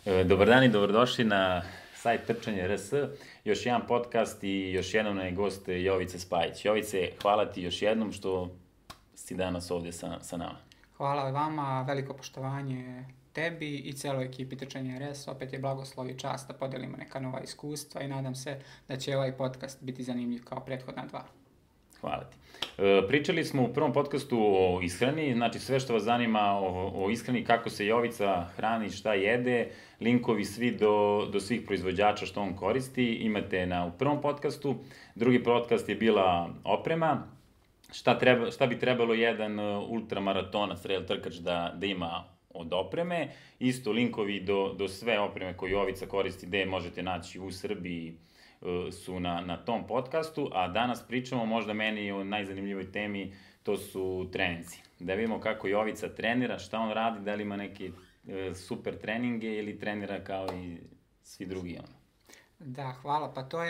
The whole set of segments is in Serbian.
Dobar dan i dobrodošli na sajt Trčanje RS, još jedan podcast i još jednom je gost Jovica Spajić. Jovice, hvala ti još jednom što si danas ovdje sa nama. Hvala vama, veliko poštovanje tebi i celoj ekipi Trčanje RS. Opet je blagoslov i čast da podelimo neka nova iskustva i nadam se da će ovaj podcast biti zanimljiv kao prethodna dva. Hvala ti. Pričali smo u prvom podcastu o ishrani, znači sve što vas zanima o ishrani, kako se Jovica hrani, šta jede, linkovi svi do svih proizvođača što on koristi, imate u prvom podcastu. Drugi podcast je bila oprema, šta bi trebalo jedan ultramaratonac, trail trkač da ima od opreme. Isto linkovi do sve opreme koju Jovica koristi, gde možete naći u Srbiji, su na tom podcastu, a danas pričamo možda meni o najzanimljivoj temi, to su treninzi. Da vidimo kako Jovica trenira, šta on radi, da li ima neke super treninge ili trenira kao i svi drugi. Da, hvala. Pa to je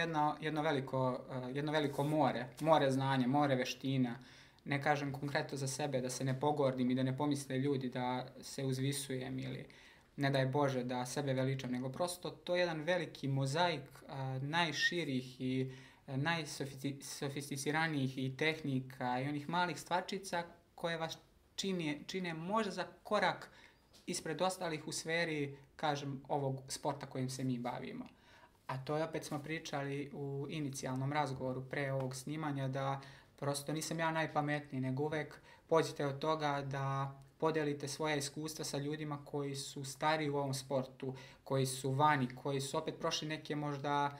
jedno veliko more znanja, more veština. Ne kažem konkretno za sebe da se ne pogordim i da ne pomisle ljudi da se uzvisujem ili ne daj Bože da sebe veličam, nego prosto to je jedan veliki mozaik najširih i najsofisticiranijih i tehnika i onih malih stvarčica koje vas čine možda za korak ispred ostalih u sferi, kažem, ovog sporta kojim se mi bavimo. A to je, opet smo pričali u inicijalnom razgovoru pre ovog snimanja, da prosto nisam ja najpametniji, nego uvek pođite od toga da podelite svoja iskustva sa ljudima koji su stariji u ovom sportu, koji su vani, koji su opet prošli neke možda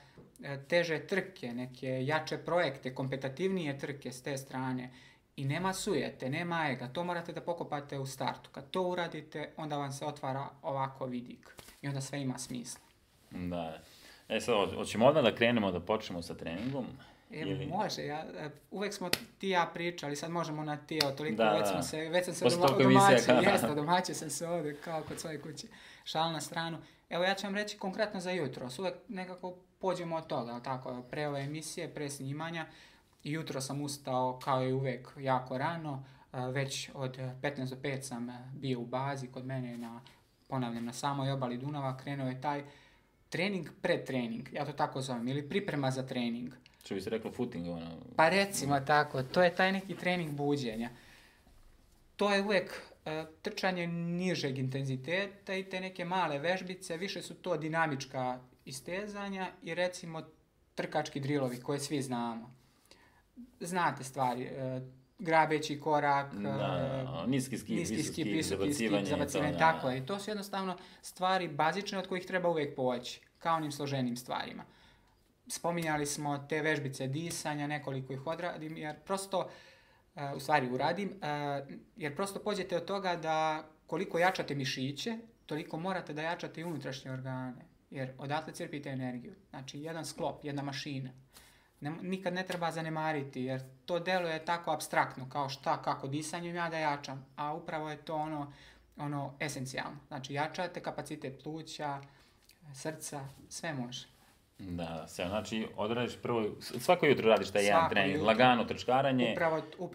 teže trke, neke jače projekte, kompetitivnije trke s te strane. I nema sujete, nema ega, to morate da pokopate u startu. Kad to uradite, onda vam se otvara ovako vidik i onda sve ima smisla. Da. Sad, hoćemo odmah da krenemo, da počnemo sa treningom? Može, uvek smo ti i ja pričali, sad možemo na ti, toliko već sam se domaćio sam se ovdje kao kod svoje kuće, šal na stranu. Evo ja ću vam reći konkretno za jutro, uvek nekako pođemo od toga, tako, pre ove emisije, pre snimanja, jutro sam ustao kao i uvek jako rano, već od 15 do 5 sam bio u bazi kod mene, ponavljam, na samoj obali Dunava, krenuo je taj trening pred trening, ja to tako zovem, ili priprema za trening. Što bi se reklo footing? Pa recimo tako, to je taj neki trening buđenja. To je uvek trčanje nižeg intenziteta i te neke male vežbice, više su to dinamička istezanja i recimo trkački drilovi koje svi znamo. Znate stvari, grabeći korak, niski skip, visoki zabacivanje, tako je. I to su jednostavno stvari bazične od kojih treba uvek poći, kao onim složenim stvarima. Spominjali smo te vežbice disanja, nekoliko ih odradim, jer prosto, jer prosto pođete od toga da koliko jačate mišiće, toliko morate da jačate i unutrašnje organe, jer odatle crpite energiju. Znači, jedan sklop, jedna mašina. Nikad ne treba zanemariti, jer to deluje tako apstraktno, kao šta, kako disanjem ja da jačam, a upravo je to ono esencijalno. Znači, jačate kapacitet pluća, srca, sve može. Da, znači odradiš prvo, svako jutro radiš taj jedan trening, lagano trčkaranje,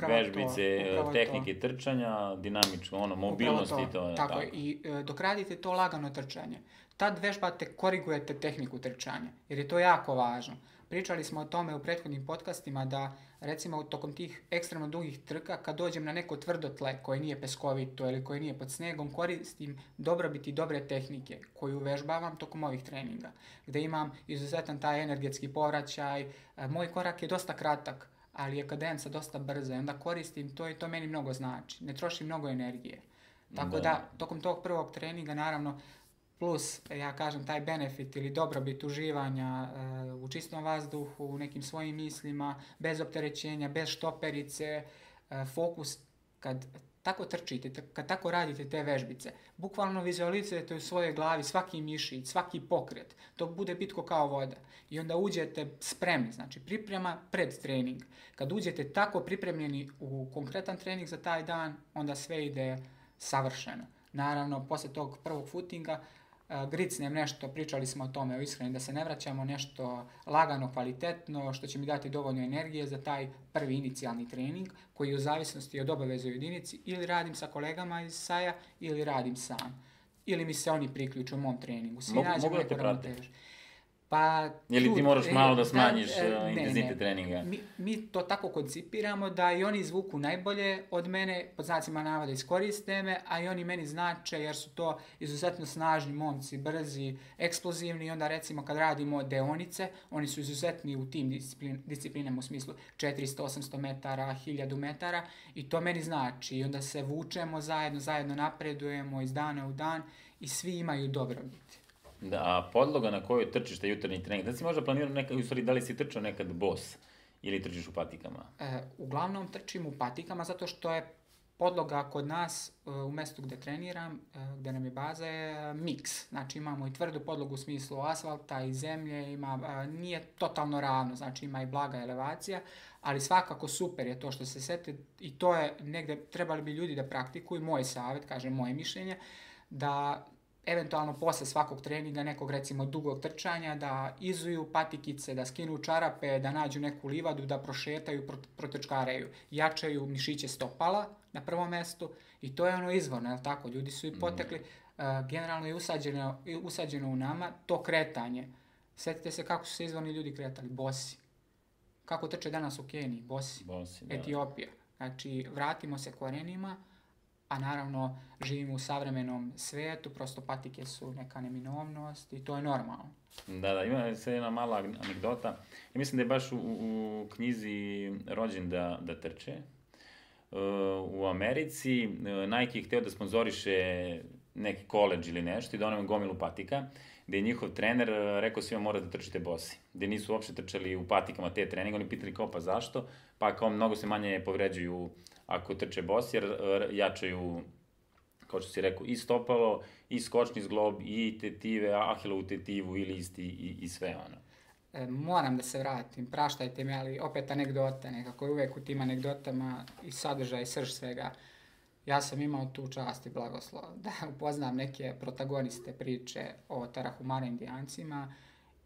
vežbice, tehnike trčanja, dinamično, mobilnosti i to. Tako je, i dok radite to lagano trčanje, tad vežbate, korigujete tehniku trčanja, jer je to jako važno. Pričali smo o tome u prethodnim podcastima da, recimo, tokom tih ekstremno dugih trka, kad dođem na neko tvrdo tle koje nije peskovito ili koje nije pod snegom, koristim dobrobiti dobre tehnike koju vežbavam tokom ovih treninga, gde imam izuzetan taj energetski povraćaj. Moj korak je dosta kratak, ali je kadenca dosta brza i onda koristim to i to meni mnogo znači. Ne trošim mnogo energije. Tako da, tokom tog prvog treninga, naravno, plus, ja kažem, taj benefit ili dobrobit uživanja u čistom vazduhu, u nekim svojim mislima, bez opterećenja, bez štoperice, fokus, kad tako trčite, kad tako radite te vežbice, bukvalno vizualizujete u svojoj glavi svaki mišić, svaki pokret, to bude bitko kao voda. I onda uđete spremni, znači priprema pred trening. Kad uđete tako pripremljeni u konkretan trening za taj dan, onda sve ide savršeno. Naravno, posle tog prvog footinga, gricnem nešto, pričali smo o tome, o ishrani, da se ne vraćamo, nešto lagano, kvalitetno, što će mi dati dovoljno energije za taj prvi inicijalni trening, koji je u zavisnosti od obaveze u jedinici, ili radim sa kolegama iz SAJ-a, ili radim sam. ili mi se oni priključu u mom treningu. Svi Mogu nađemo da neku te prate? ravnotežu. Pa, Ili ti moraš malo da smanjiš ne, intenzitet treninga? Mi to tako koncipiramo da i oni izvuku najbolje od mene, pod znacima navoda iskoriste me, a i oni meni znače jer su to izuzetno snažni momci, brzi, eksplozivni i onda recimo kad radimo deonice, oni su izuzetni u tim disciplinama u smislu 400, 800 metara, 1000 metara i to meni znači i onda se vučemo zajedno napredujemo iz dana u dan i svi imaju dobrobit. Da, a podloga na kojoj trčiš taj jutarnji trening, da si možda planirao nekad, u stvari da li si trčao nekad bos ili trčiš u patikama? Uglavnom trčim u patikama zato što je podloga kod nas u mjestu gdje treniram, gdje nam je baza, je miks. Znači imamo i tvrdu podlogu u smislu asfalta i zemlje, nije totalno ravno, znači ima i blaga elevacija, ali svakako super je to što se sete i to je negdje, trebali bi ljudi da praktikuju, moj savjet, kažem moje mišljenje, da eventualno posle svakog treninga, nekog recimo dugog trčanja, da izuju patikice, da skinu čarape, da nađu neku livadu, da prošetaju, protrčkaraju, jačaju mišiće stopala na prvom mjestu i to je ono izvorno, jel tako? Ljudi su i potekli, generalno je usađeno u nama to kretanje. Sjetite se kako su se izvorni ljudi kretali, bosi. Kako trče danas u Keniji, bosi, Etiopija. Znači, vratimo se korenima, a naravno živimo u savremenom svijetu, prosto patike su neka neminovnost i to je normalno. Da, ima se jedna mala anegdota. Ja mislim da je baš u knjizi Rođen da trče. U Americi Nike je hteo da sponzoriše neki koledž ili nešto i da on ima gomilu patika, gde je njihov trener rekao svima mora da trčite bosi. Gde nisu uopšte trčali u patikama te treninga, oni pitali kao pa zašto? Pa kao mnogo se manje povređuju ako trče bosi, jer jačaju, kao što si rekao, i stopalo, i skočni zglob, i tetive, ahilovu tetivu ili isti i sve ono. Moram da se vratim, praštajte mi, ali opet anegdota, nekako je uvek u tim anegdotama i sadržaj, srž svega. Ja sam imao tu čast i blagoslov da upoznam neke protagoniste priče o Tarahumara Indijancima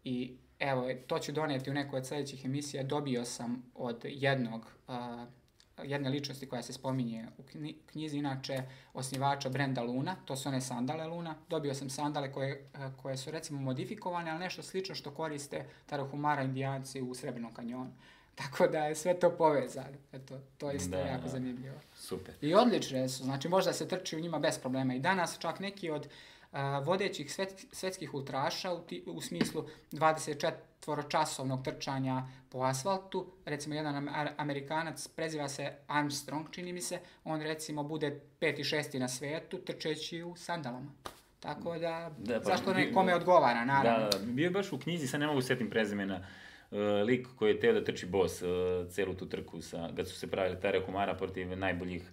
i evo, to ću donijeti u nekoj od sljedećih emisija. Dobio sam od jedne ličnosti koja se spominje u knjizi, inače osnivača brenda Luna, to su one sandale Luna. Dobio sam sandale koje su recimo modifikovane, ali nešto slično što koriste Tarahumara Indijanci u Srebrnom kanjonu. Tako da je sve to povezano. Eto, to je isto jako zanimljivo. Super. I odlične su, znači možda se trči u njima bez problema. I danas čak neki od vodećih svetskih ultraša u smislu 24-časovnog trčanja po asfaltu, recimo jedan Amerikanac, preziva se Armstrong, čini mi se, on recimo bude 5. i 6. na svijetu trčeći u sandalama. Tako da zašto nekome odgovara, naravno. Da, bio je baš u knjizi, sad ne mogu setim prezimena, lik koji je teo da trči bos celu tu trku kad su se pravili Tarahumara protiv najboljih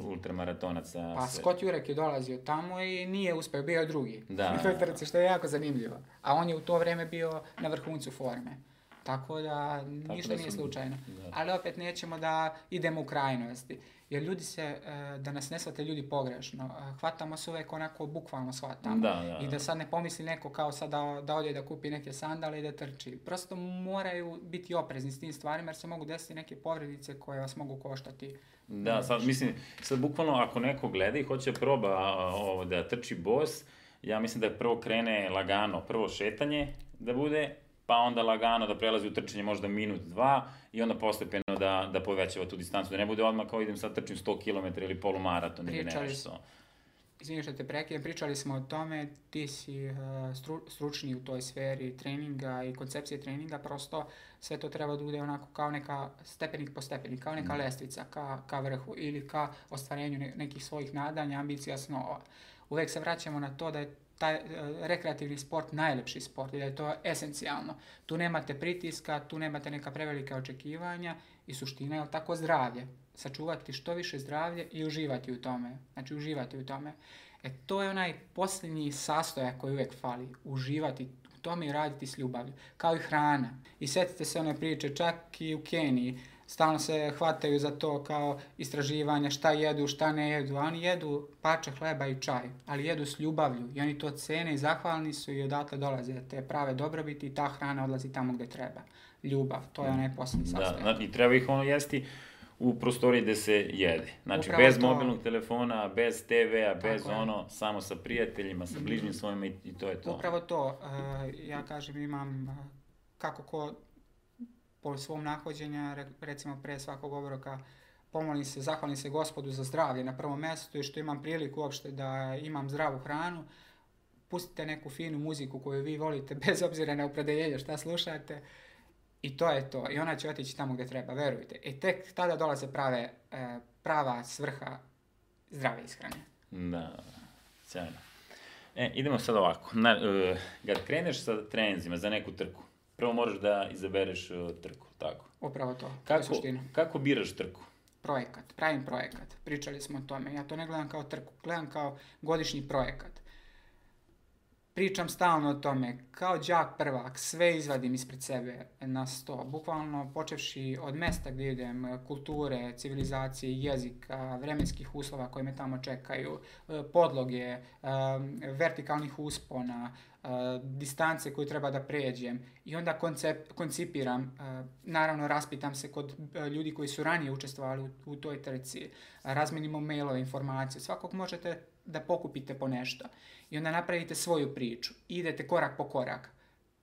ultramaratonaca. Pa Scott Jurek je dolazio tamo i nije uspeo, bio je drugi. Da. U toj trci, što je jako zanimljivo. A on je u to vrijeme bio na vrhuncu forme. Tako da ništa nije slučajno. Da. Ali opet nećemo da idemo u krajnosti. Jer ljudi da nas ne shvate ljudi pogrešno, hvatamo se uvijek onako bukvalno shvatamo. I da sad ne pomisli neko kao sad da ode da kupi neke sandale i da trči. Prosto moraju biti oprezni s tim stvarima jer se mogu desiti neke povredice koje vas mogu koštati. Da, sad bukvalno ako neko gleda i hoće proba da trči bos, ja mislim da prvo krene lagano, prvo šetanje da bude, pa onda lagano da prelazi u trčanje možda minut, 2 i onda postepeno da povećava tu distancu, da ne bude odmah kao idem sad trčim 100 km ili polumaraton ili nešto. Izvini što te prekidam, pričali smo o tome, ti si stručni u toj sferi treninga i koncepcije treninga, prosto sve to treba da bude onako kao neka stepenik po stepenik, kao neka lestvica ka vrhu ili ka ostvarenju nekih svojih nadanja, ambicija, snova. Uvijek se vraćamo na to da je taj rekreativni sport najlepši sport i da je to esencijalno. Tu nemate pritiska, tu nemate neka prevelika očekivanja i suština je tako zdravlje. Sačuvati što više zdravlje i uživati u tome. Znači uživati u tome. To je onaj posljednji sastojak koji uvijek fali. Uživati u tome i raditi s ljubavlju. Kao i hrana. I sjetite se one priče, čak i u Keniji. Stalno se hvataju za to kao istraživanja šta jedu, šta ne jedu. A oni jedu parče hleba i čaj, ali jedu s ljubavlju. I oni to cene i zahvalni su i odatle dolaze te prave dobrobiti i ta hrana odlazi tamo gdje treba. Ljubav, to je onaj posljednji sastojak. Da, i treba ih jesti u prostoriji gde se jede. Znači, Upravo bez to. mobilnog telefona, bez TV-a, bez Tako je. ono, samo sa prijateljima, sa bližnjim svojima i to je to. Upravo to. Ja kažem, imam kako ko po svom nahođenja, recimo pre svakog obroka, pomolim se, zahvalim se Gospodu za zdravlje na prvom mjestu i što imam priliku uopšte da imam zdravu hranu. Pustite neku finu muziku koju vi volite, bez obzira na opredeljenje šta slušate. I to je to. I ona će otići tamo gdje treba, verujte. I tek tada dolaze prava svrha zdrave ishrane. Da, sjajno. Idemo sad ovako. Kad kreneš sa treninzima za neku trku, prvo moraš da izabereš trku, tako? Upravo to, to je suština. Kako biraš trku? Projekat, pravim projekat. Pričali smo o tome. Ja to ne gledam kao trku, gledam kao godišnji projekat. Pričam stalno o tome, kao đak prvak, sve izvadim ispred sebe na sto. Bukvalno počevši od mesta gdje idem, kulture, civilizacije, jezika, vremenskih uslova koji me tamo čekaju, podloge, vertikalnih uspona, distance koju treba da pređem. I onda koncipiram, naravno raspitam se kod ljudi koji su ranije učestvovali u toj trci, razmenimo mailove, informacije, svakog možete da pokupite po nešto. I onda napravite svoju priču. Idete korak po korak.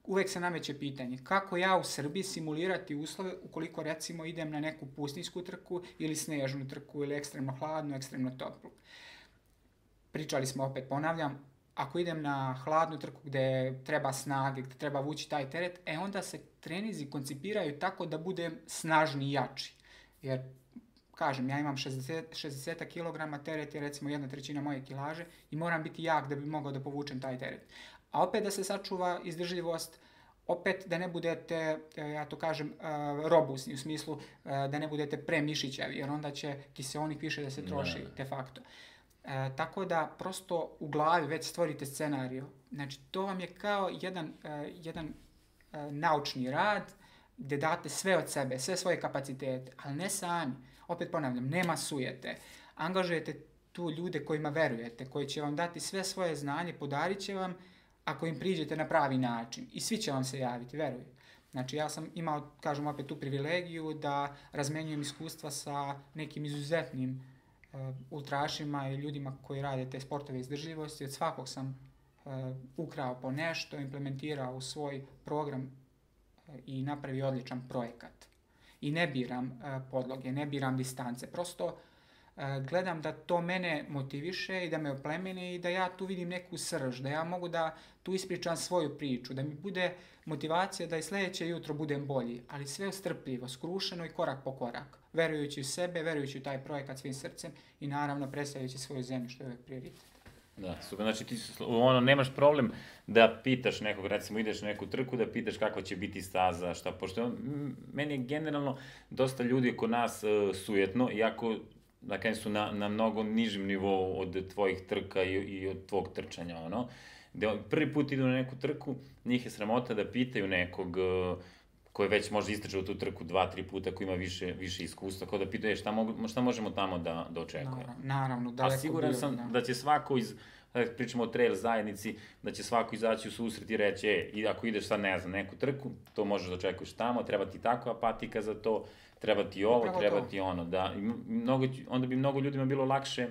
Uvijek se nameće pitanje kako ja u Srbiji simulirati uslove ukoliko recimo idem na neku pustinjsku trku ili snežnu trku ili ekstremno hladnu, ekstremno toplu. Pričali smo, opet ponavljam, ako idem na hladnu trku gdje treba snage, gdje treba vući taj teret, onda se trenizi koncipiraju tako da budem snažni i jači. Jer kažem, ja imam 60 kg, teret je recimo 1/3 moje kilaže i moram biti jak da bi mogao da povučem taj teret. A opet da se sačuva izdržljivost, opet da ne budete, ja to kažem, robusni, u smislu da ne budete premišićavi, jer onda će kiseonik više da se troši de facto. Tako da prosto u glavi već stvorite scenariju. Znači, to vam je kao jedan naučni rad gdje date sve od sebe, sve svoje kapacitete, ali ne sami. Opet ponavljam, nema sujete. Angažujete tu ljude kojima verujete, koji će vam dati sve svoje znanje, podarit će vam ako im priđete na pravi način. I svi će vam se javiti, veruj. Znači, ja sam imao, kažem opet, tu privilegiju da razmenjujem iskustva sa nekim izuzetnim ultrašima i ljudima koji rade te sportove izdržljivosti. Od svakog sam ukrao po nešto, implementirao u svoj program i napravio odličan projekat. I ne biram podloge, ne biram distance. Prosto gledam da to mene motiviše i da me oplemeni i da ja tu vidim neku srž, da ja mogu da tu ispričam svoju priču, da mi bude motivacija da i sljedeće jutro budem bolji, ali sve strpljivo, skrušeno i korak po korak, verujući u sebe, verujući u taj projekat svim srcem i naravno predstavljajući svoju zemlju, što je uvijek prioritet. Da, super, znači ti nemaš problem da pitaš nekog, recimo ideš na neku trku, da pitaš kakva će biti staza, šta, pošto meni je generalno dosta ljudi oko nas sujetno, iako da kažem su na mnogo nižem nivou od tvojih trka i od tvog trčanja, ono. Prvi put idu na neku trku, njih je sramota da pitaju nekog koji već možda istrčao tu trku 2-3 puta, koji ima više iskustva, kao da pitaju šta možemo tamo da očekujemo. Naravno, daleko. A siguran sam da će svako pričamo o trail zajednici, da će svako izaći u susret i reći, i ako ideš sad, ne znam, neku trku, to možeš da očekuješ tamo, treba ti takva patika za to, treba ti ovo, upravo treba to. ti ono, da, onda bi mnogo ljudima bilo lakše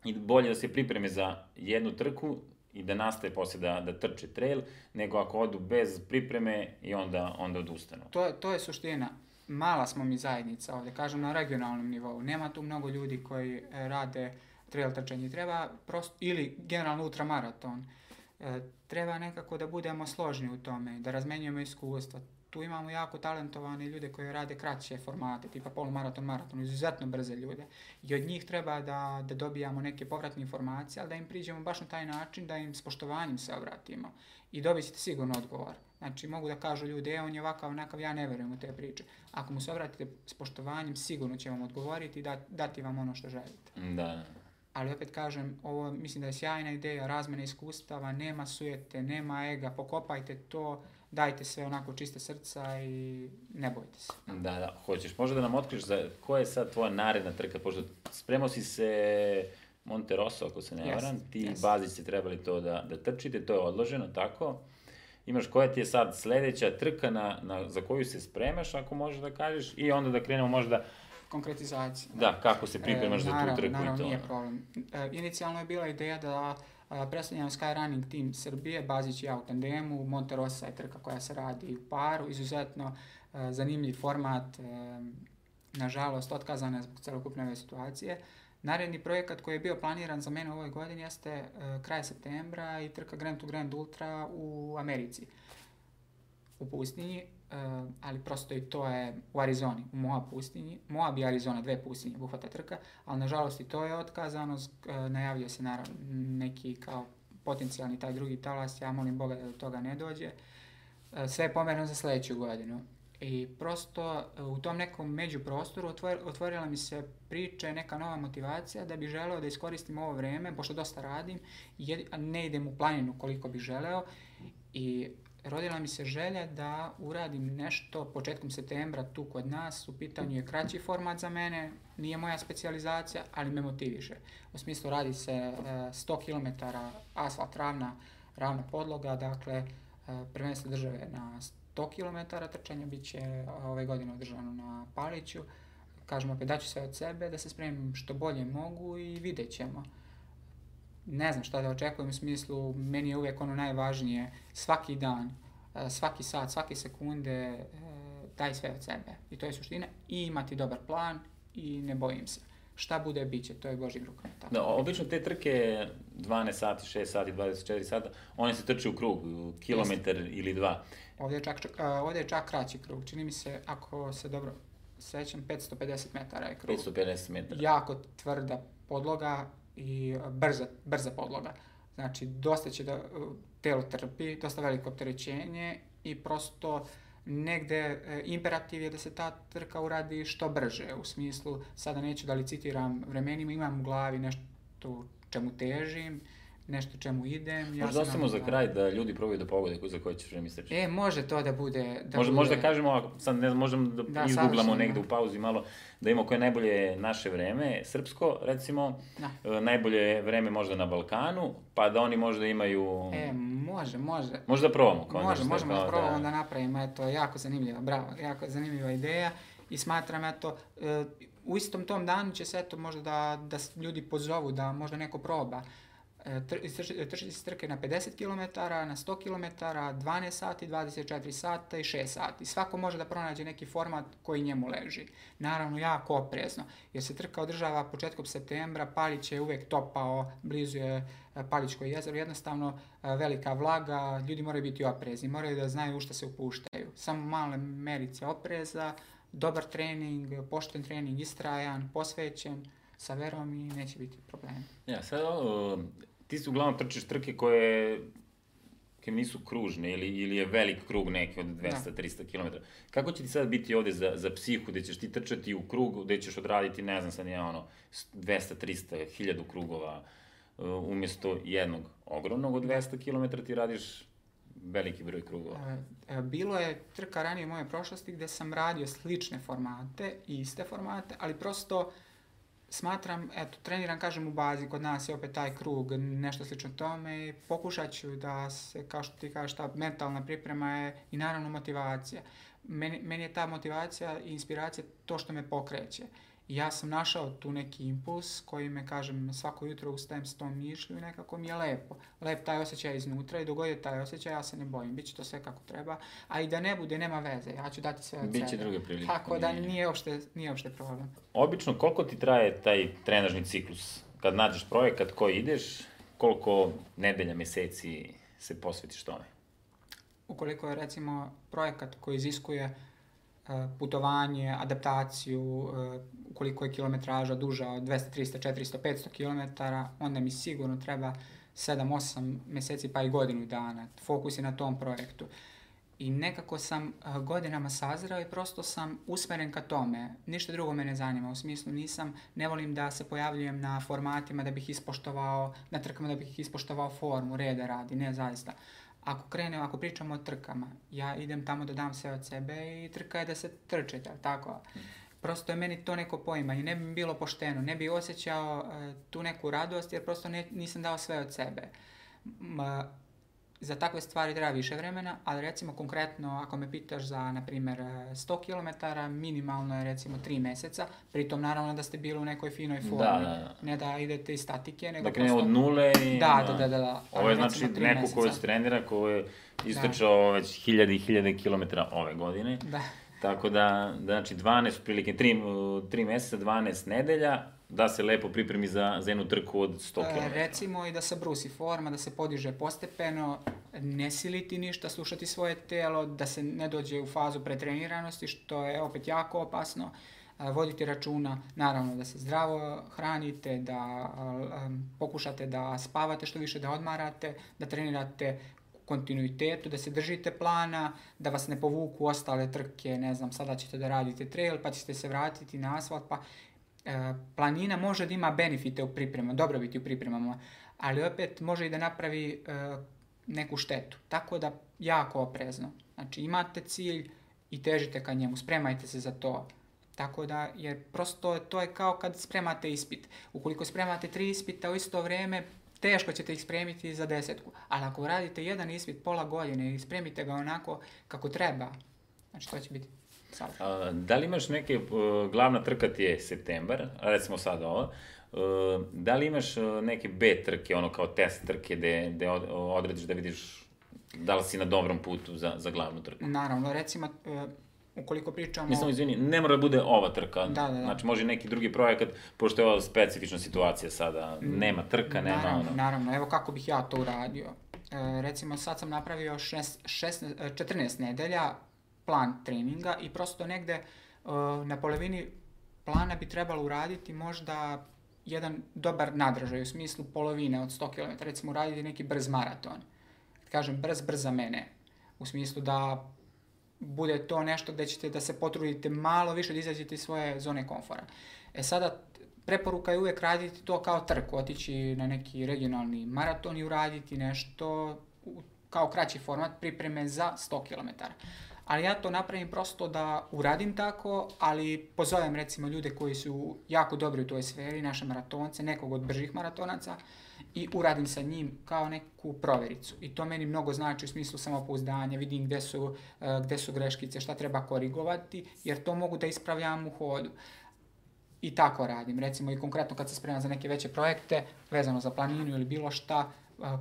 i bolje da se pripreme za jednu trku i da nastaje posle da trče trail, nego ako odu bez pripreme i onda odustanu. To je suština. Mala smo mi zajednica ovdje, kažem na regionalnom nivou. Nema tu mnogo ljudi koji rade trail trčanje. Treba prosto, ili generalno ultramaraton. Treba nekako da budemo složni u tome, da razmenjujemo iskustva. Tu imamo jako talentovane ljude koji rade kraće formate, tipa polumaraton, maraton, izuzetno brze ljude. I od njih treba da dobijamo neke povratne informacije, ali da im priđemo baš na taj način, da im s poštovanjem se obratimo. I dobit ćete sigurno odgovor. Znači, mogu da kažu ljudi, on je ovakav, onakav, ja ne verujem u te priče. Ako mu se obratite s poštovanjem, sigurno će vam odgovoriti i dati vam ono što želite. Da. Ali opet kažem, ovo mislim da je sjajna ideja, razmjena iskustava, nema sujete, nema ega, pokopajte to, dajte sve onako čiste srca i ne bojte se. Da, hoćeš možda da nam otkriš koja je sad tvoja naredna trka, pošto spremao si se Monte Rosso, ako se ne varam, ti i Bazić ste trebali to da trčite, to je odloženo, tako? Imaš koja ti je sad sledeća trka za koju se spremaš, ako možeš da kažeš, i onda da krenemo možda konkretizacije. Da, kako se pripremaš za tu trku naravno, i to? Nije problem. Inicijalno je bila ideja da predstavljam Skyrunning Team Srbije, Bazić i ja u tandemu, Monte Rosa je trka koja se radi u paru, izuzetno zanimljiv format, nažalost otkazana je zbog celokupne ove situacije. Naredni projekat koji je bio planiran za mene u ovoj godini jeste kraj septembra i trka Grand to Grand Ultra u Americi, u pustinji, ali prosto i to je u Arizoni, u Moab pustinji. Moab i Arizona, 2 pustinje obuhvata trka, ali nažalost i to je otkazano, najavio se naravno neki kao potencijalni taj drugi talas, ja molim Boga da do toga ne dođe. Sve je pomereno za sledeću godinu. I prosto u tom nekom međuprostoru otvorila mi se priča i neka nova motivacija da bih želeo da iskoristim ovo vreme, pošto dosta radim, a ne idem u planinu koliko bih želeo, i rodila mi se želja da uradim nešto početkom septembra tu kod nas. U pitanju je kraći format za mene, nije moja specijalizacija, ali me motiviše. U smislu radi se 100 km asfalt, ravna podloga, dakle prvenstvo države na 100 km trčanja bit će ove godine održano na Paliću. Kažem opet, daću sve od sebe da se spremim što bolje mogu i vidjet ćemo. Ne znam šta da očekujem, u smislu, meni je uvijek ono najvažnije, svaki dan, svaki sat, svake sekunde, daj sve od sebe. I to je suština. I imati dobar plan i ne bojim se. Šta bude, bit će, to je Božjim rukama. Da, obično te trke 12 sati, 6 sati, 24 sata, one se trče u krug, kilometar ili 2. Ovdje je čak kraći krug. Čini mi se, ako se dobro sećam, 550 metara je krug. 550 metara. Jako tvrda podloga i brza podloga. Znači, dosta će da telo trpi, dosta veliko opterećenje i prosto negde imperativ je da se ta trka uradi što brže. U smislu, sada neću da licitiram vremenima, imam u glavi nešto čemu težim, nešto čemu idem. Možda ostavimo za kraj da ljudi probaju da pogode za koje ćeš vreme istrčati. Može to da bude... Možda kažemo, sad ne znam, možemo da izgooglamo negde u pauzi malo, da imamo koje najbolje naše vreme, srpsko, recimo, najbolje vreme možda na Balkanu, pa da oni možda imaju... Može. Možda probamo. Možemo da probamo da napravimo, eto, jako zanimljiva, bravo, jako zanimljiva ideja i smatram, eto, u istom tom danu će se, eto, možda da ljudi pozovu, da možda neko proba. Trčiti se trke na 50 km, na 100 km, 12 sati, 24 sata i 6 sati. Svako može da pronađe neki format koji njemu leži. Naravno, jako oprezno, jer se trka održava početkom septembra, Palić je uvek topao, blizu je Palićko jezero, jednostavno velika vlaga, ljudi moraju biti oprezni, moraju da znaju u šta se upuštaju. Samo male merice opreza, dobar trening, pošten trening, istrajan, posvećen, sa verom i neće biti problema. Ja, sad ti si uglavnom trčiš trke koje nisu kružne ili je velik krug neki od 200-300 km. Kako će ti sad biti ovde za psihu, gde ćeš ti trčati u krug, gde ćeš odraditi, ne znam sad nije 200-300, 1000 krugova, umjesto jednog ogromnog od 200 km ti radiš veliki broj krugova? Bilo je trka ranije u mojoj prošlosti gde sam radio slične formate i iste formate, ali prosto smatram, eto, treniram, kažem, u bazi, kod nas je opet taj krug, nešto slično tome i pokušat ću da se, kao što ti kažeš, ta mentalna priprema je i naravno motivacija. Meni je ta motivacija i inspiracija to što me pokreće. I ja sam našao tu neki impuls koji me, kažem, svako jutro ustajem s tom mišlju i nekako mi je lepo. Lep taj osjećaj iznutra i dok god je taj osjećaj, ja se ne bojim, bit će to sve kako treba. A i da ne bude, nema veze, ja ću dati sve od sebe. Biće druge prilike. Tako da nije uopšte problem. Obično, koliko ti traje taj trenažni ciklus? Kad nađeš projekat koji ideš, koliko nedelja, meseci se posvetiš tome? Ukoliko je, recimo, projekat koji iziskuje putovanje, adaptaciju, ukoliko je kilometraža duža od 200, 300, 400, 500 km, onda mi sigurno treba 7-8 meseci pa i godinu dana. Fokus je na tom projektu. I nekako sam godinama sazreo i prosto sam usmeren ka tome. Ništa drugo me ne zanima. U smislu ne volim da se pojavljujem na formatima da bih ispoštovao, na trkama da bih ispoštovao formu, reda radi, ne zaista. Ako pričamo o trkama, ja idem tamo da dam sve od sebe i trka je da se trče, tako? Prosto je meni to neko poimanje, ne bi mi bilo pošteno, ne bi osjećao tu neku radost jer prosto nisam dao sve od sebe. za takve stvari treba više vremena, ali recimo konkretno ako me pitaš za, na primjer, 100 km, minimalno je recimo 3 mjeseca, pritom naravno da ste bili u nekoj finoj formi, ne da idete iz statike, nego dakle, od nule i... Da. Ovo je znači neko koji se trenira, koji je istrčao već hiljade i hiljade kilometara ove godine. Da. Tako da, znači 12, prilike 3 mjeseca, 12 nedelja, da se lepo pripremi za jednu trku od 100 km. Recimo i da se brusi forma, da se podiže postepeno, ne siliti ništa, slušati svoje tijelo, da se ne dođe u fazu pretreniranosti, što je opet jako opasno. Voditi računa, naravno, da se zdravo hranite, da pokušate da spavate što više, da odmarate, da trenirate kontinuitetu, da se držite plana, da vas ne povuku ostale trke, ne znam, sada ćete da radite trail, pa ćete se vratiti na asfalt, pa planina može da ima benefite u pripremama, dobrobiti u pripremama, ali opet može i da napravi neku štetu. Tako da jako oprezno. Znači imate cilj i težite ka njemu, spremajte se za to. Tako da, jer prosto to je kao kad spremate ispit. Ukoliko spremate 3 ispita u isto vrijeme, teško ćete ih spremiti za 10. Ali ako radite jedan ispit pola godine i spremite ga onako kako treba, znači to će biti da li imaš neke, glavna trka ti je septembar, recimo sada ovo, da li imaš neke B trke, ono kao test trke gde odrediš da vidiš da li si na dobrom putu za glavnu trku? Naravno, recimo, ukoliko pričamo... Mislim, izvini, ne mora da bude ova trka, znači može neki drugi projekat, pošto je ova specifična situacija sada, nema trka, nema... Naravno, evo kako bih ja to uradio. Recimo, sad sam napravio 14 nedelja, plan treninga i prosto negde na polovini plana bi trebalo uraditi možda jedan dobar nadražaj u smislu polovine od 100 km, recimo uraditi neki brz maraton. Kažem brz za mene, u smislu da bude to nešto gdje ćete da se potrudite malo više da izađete iz svoje zone komfora. Sada preporuka je uvijek raditi to kao trku, otići na neki regionalni maraton i uraditi nešto kao kraći format pripreme za 100 km. Ali ja to napravim prosto da uradim tako, ali pozovem recimo ljude koji su jako dobri u toj sferi, naše maratonce, nekog od bržih maratonaca i uradim sa njim kao neku provjericu. I to meni mnogo znači u smislu samopouzdanja, vidim gde su greškice, šta treba korigovati, jer to mogu da ispravljam u hodu. I tako radim. Recimo i konkretno kad se spremam za neke veće projekte, vezano za planinu ili bilo šta,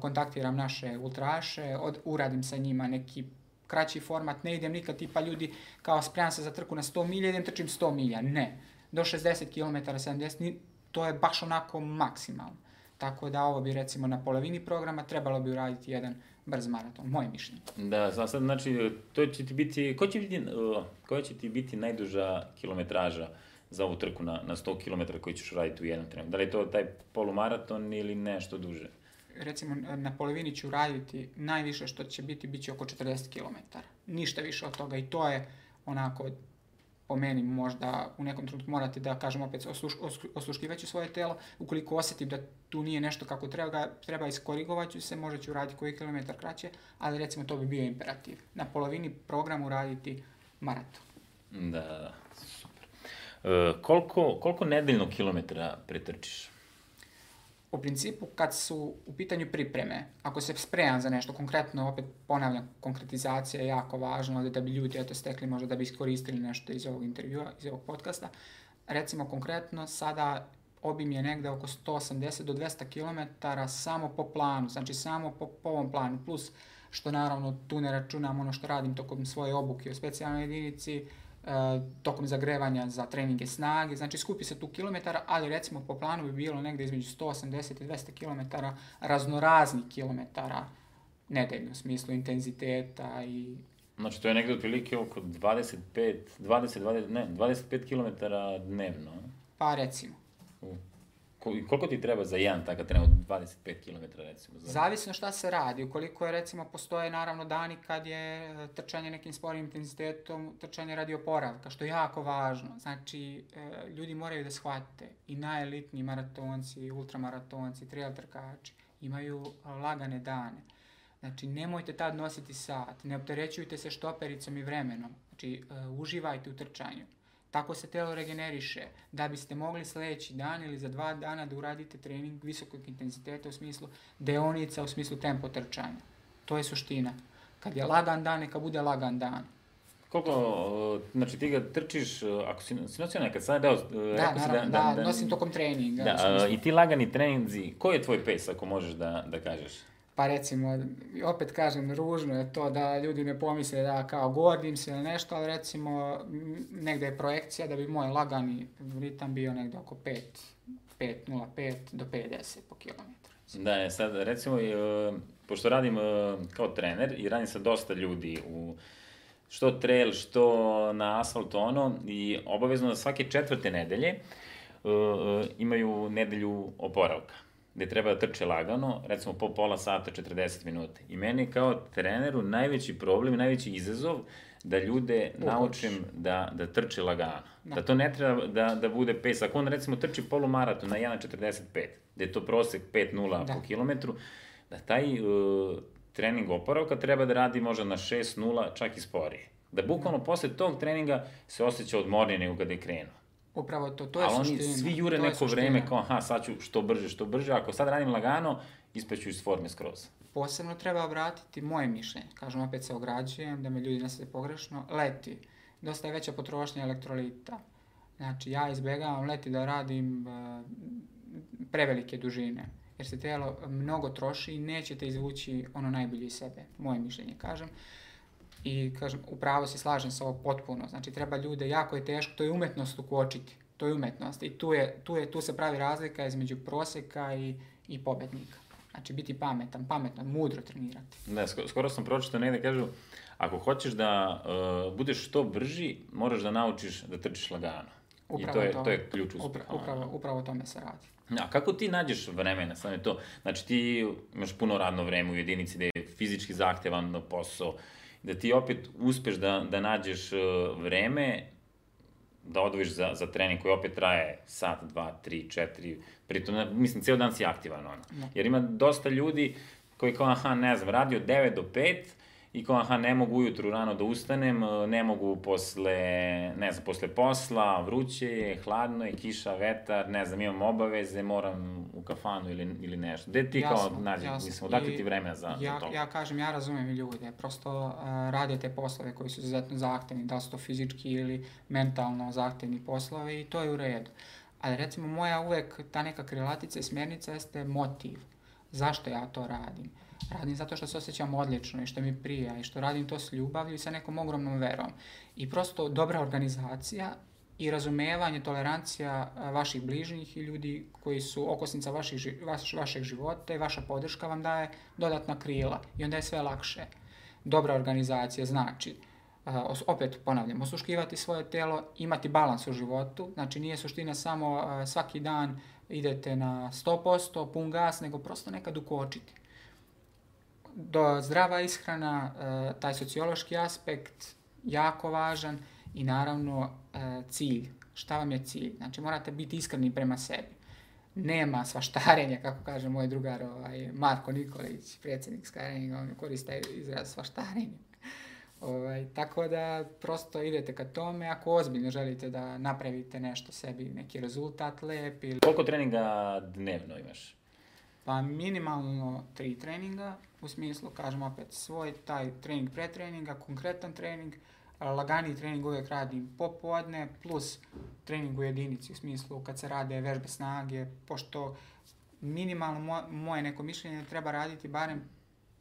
kontaktiram naše ultraše, uradim sa njima neki kraći format, ne idem nikad tipa ljudi kao spremam se za trku na 100 milja, idem trčim 100 milja, ne. Do 60 km, 70, to je baš onako maksimalno. Tako da ovo bi recimo na polovini programa trebalo bi uraditi jedan brz maraton, moje mišljenje. Da, sad znači, koja će ti biti najduža kilometraža za ovu trku na 100 km koji ćeš raditi u jednom trenutku? Da li je to taj polumaraton ili nešto duže? Recimo, na polovini ću raditi najviše što će biti, bit će oko 40 km. Ništa više od toga i to je onako, po meni možda u nekom trenutku morate da kažem opet osluškivaću svoje telo. Ukoliko osjetim da tu nije nešto kako treba iskorigovat ću se, možda ću raditi koji kilometar kraće, ali recimo to bi bio imperativ. Na polovini programu raditi maraton. Da, super. Koliko nedeljnog kilometra pretrčiš? U principu, kad su u pitanju pripreme, ako se spremam za nešto konkretno, opet ponavljam, konkretizacija je jako važna, da bi ljudi stekli, možda da bi iskoristili nešto iz ovog intervjua, iz ovog podcasta. Recimo konkretno, sada obim je negde oko 180 do 200 km samo po planu, znači samo po ovom planu, plus što naravno tu ne računam ono što radim tokom svoje obuke u specijalnoj jedinici, tokom zagrevanja za treninge snage, znači skupi se tu kilometara, ali recimo po planu bi bilo negdje između 180 i 200 km raznoraznih kilometara nedeljno, u smislu intenziteta i... Znači to je negdje otprilike oko 25 km dnevno? Pa recimo. Koliko ti treba za jedan takav tren od 25 km recimo? Zavisno šta se radi. Ukoliko je recimo postoje naravno dani kad je trčanje nekim sporim intenzitetom, trčanje radi oporavka, što je jako važno. Znači ljudi moraju da shvate i najelitniji maratonci, ultramaratonci, trail trkači imaju lagane dane. Znači nemojte tad nositi sat, ne opterećujte se štopericom i vremenom. Znači uživajte u trčanju. Tako se telo regeneriše, da biste mogli sljedeći dan ili za 2 dana da uradite trening visokog intenziteta u smislu deonica, u smislu tempo trčanja. To je suština. Kad je lagan dan, neka bude lagan dan. Koliko, znači ti ga trčiš, ako si nosio nekad, sad deo, Da, naravno, da, nosim tokom treninga. Da, i ti lagani treninzi, koji je tvoj pace, ako možeš da kažeš? Pa recimo, opet kažem, ružno je to da ljudi ne pomisle da kao gordim se ili nešto, ali recimo negde je projekcija da bi moj lagani ritam bio negde oko 5.05 do 5.10 po kilometru. Da, sad recimo, pošto radim kao trener i radim sa dosta ljudi u što trail, što na asfaltu i obavezno da svake 4. nedelje imaju nedelju oporavka, gde treba da trče lagano, recimo po pola sata, 40 minuta. I meni kao treneru najveći problem, najveći izazov da ljude naučim da trče lagano. Da to ne treba da bude pace. Ako on recimo trči polumaraton na 1.45, gde je to prosek 5.0 po kilometru, da taj trening oporavka treba da radi možda na 6.0, čak i sporije. Da bukvalno posle tog treninga se osjeća odmornije nego kada je krenuo. Upravo to je suština. Ali oni svi jure neko vreme kao, sad ću što brže, ako sad radim lagano, ispeću iz forme skroz. Posebno treba obratiti moje mišljenje, kažem, opet se ograđujem, da me ljudi ne shvate pogrešno, leti. Dosta je veća potrošnja elektrolita. Znači, ja izbjegavam leti da radim prevelike dužine, jer se tijelo mnogo troši i nećete izvući ono najbolje iz sebe, moje mišljenje, kažem. I kažem, upravo se slažem sa ovo potpuno. Znači, treba ljude, jako je teško, to je umetnost ukočiti. To je umetnost. I tu se pravi razlika između proseka i pobednika. Znači, biti pametno, mudro trenirati. Da, skoro sam pročitao negde, kažu, ako hoćeš da budeš što brži, moraš da naučiš da trčiš lagano. Upravo I to je ključ uspeha. Upravo o tome se radi. A kako ti nađeš vremena? Znači, ti imaš puno radno vreme u jedinici da je fizički zahtevan posao, da ti opet uspeš da nađeš vreme da odvojiš za trening koji opet traje sat, 2, 3, 4, pritom, mislim, ceo dan si aktivan, Jer ima dosta ljudi koji kao, radi od 9 do 5 i kao, ne mogu ujutru rano da ustanem, ne mogu posle posla, vruće je, hladno je, kiša, vetar, imam obaveze, moram u kafanu ili nešto. Gde ti kao nađeš, mislim, odakle ti vremena za to? Ja kažem, ja razumem i ljude, prosto rade te poslove koji su izuzetno zahtevni, da li su to fizički ili mentalno zahtevni poslovi i to je u redu. Ali recimo moja uvek ta neka krilatica i smjernica jeste motiv. Zašto ja to radim? Radim zato što se osjećam odlično i što mi prija i što radim to s ljubavlju i sa nekom ogromnom verom. I prosto dobra organizacija i razumevanje, tolerancija vaših bližnjih i ljudi koji su okosnica vašeg života i vaša podrška vam daje dodatna krila i onda je sve lakše. Dobra organizacija znači, opet ponavljam, osluškivati svoje telo, imati balans u životu, znači nije suština samo svaki dan idete na 100%, pun gas, nego prosto nekad ukočiti. Zdrava ishrana, taj sociološki aspekt, jako važan i naravno cilj. Šta vam je cilj? Znači morate biti iskreni prema sebi. Nema svaštarenja, kako kaže moj drugar Marko Nikolić, predsjednik Skyruninga, on koriste izraz svaštarenja. Tako da prosto idete ka tome ako ozbiljno želite da napravite nešto sebi, neki rezultat lep. Koliko treninga dnevno imaš? Pa minimalno 3 treninga, u smislu, kažem opet, svoj taj trening pretreninga, konkretan trening, laganiji trening uvijek radim popodne, plus trening u jedinici, u smislu kad se rade vežbe snage, pošto minimalno moje neko mišljenje treba raditi barem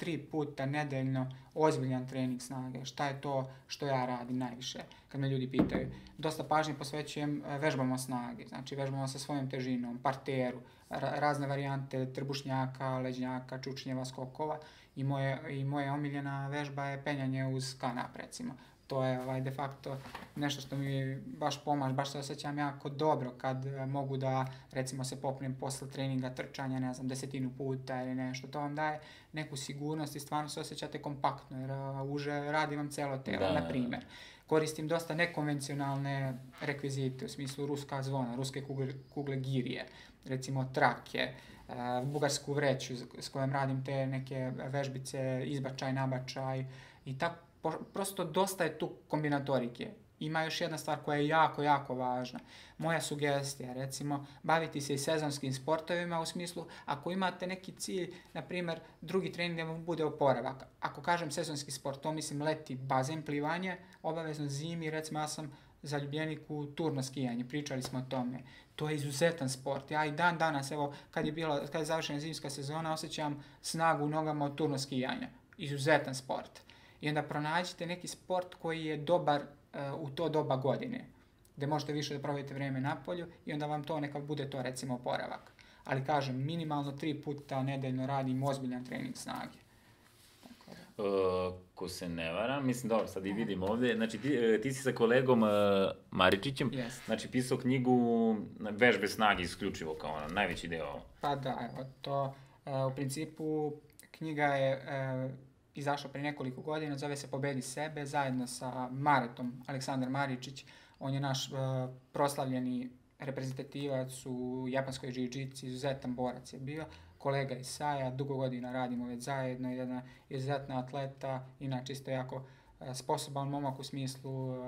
3 puta nedeljno ozbiljan trening snage. Šta je to što ja radim najviše? Kad me ljudi pitaju, dosta pažnje posvećujem vežbama snage, znači vežbama sa svojom težinom, parteru, razne varijante trbušnjaka, leđnjaka, čučnjeva, skokova i moja omiljena vežba je penjanje uz kanap, recimo. To je de facto nešto što mi baš pomaže, baš se osjećam jako dobro kad mogu da, recimo, se popnem posle treninga trčanja, 10 puta ili nešto. To vam daje neku sigurnost i stvarno se osjećate kompaktno, jer uže radi vam celo telo, na primjer. Koristim dosta nekonvencionalne rekvizite, u smislu ruska zvona, ruske kugle girije, recimo trake, bugarsku vreću s kojom radim te neke vežbice, izbačaj, nabačaj i tako. Prosto dosta je tu kombinatorike. ima još jedna stvar koja je jako, jako važna. Moja sugestija, recimo, baviti se i sezonskim sportovima u smislu, ako imate neki cilj, na primjer, drugi trening da vam bude oporavak. Ako kažem sezonski sport, to mislim leti, bazen, plivanje, obavezno zimi, recimo ja sam zaljubljenik u turno skijanje, pričali smo o tome. To je izuzetan sport. Ja i dan danas, evo, kad je završena zimska sezona, osjećam snagu u nogama od turno skijanja. Izuzetan sport. I onda pronađite neki sport koji je dobar u to doba godine, gdje možete više da provedete vrijeme na polju i onda vam to neka bude to recimo oporavak. Ali kažem, minimalno 3 puta nedeljno radim ozbiljan trening snage. Ko se ne vara, mislim dobro, sad i vidim ovdje, znači ti si sa kolegom Maričićem, znači pisao knjigu Vežbe snage isključivo kao najveći deo. Pa da, evo to u principu knjiga je izašla prije nekoliko godina, zove se Pobedi sebe, zajedno sa Maretom, Aleksandar Maričić, on je naš proslavljeni reprezentativac u japanskoj jiu-jitsu, izuzetan borac je bio, kolega iz Saja, dugo godina radimo već zajedno, jedna izuzetna atleta, inače isto jako sposoban momak u smislu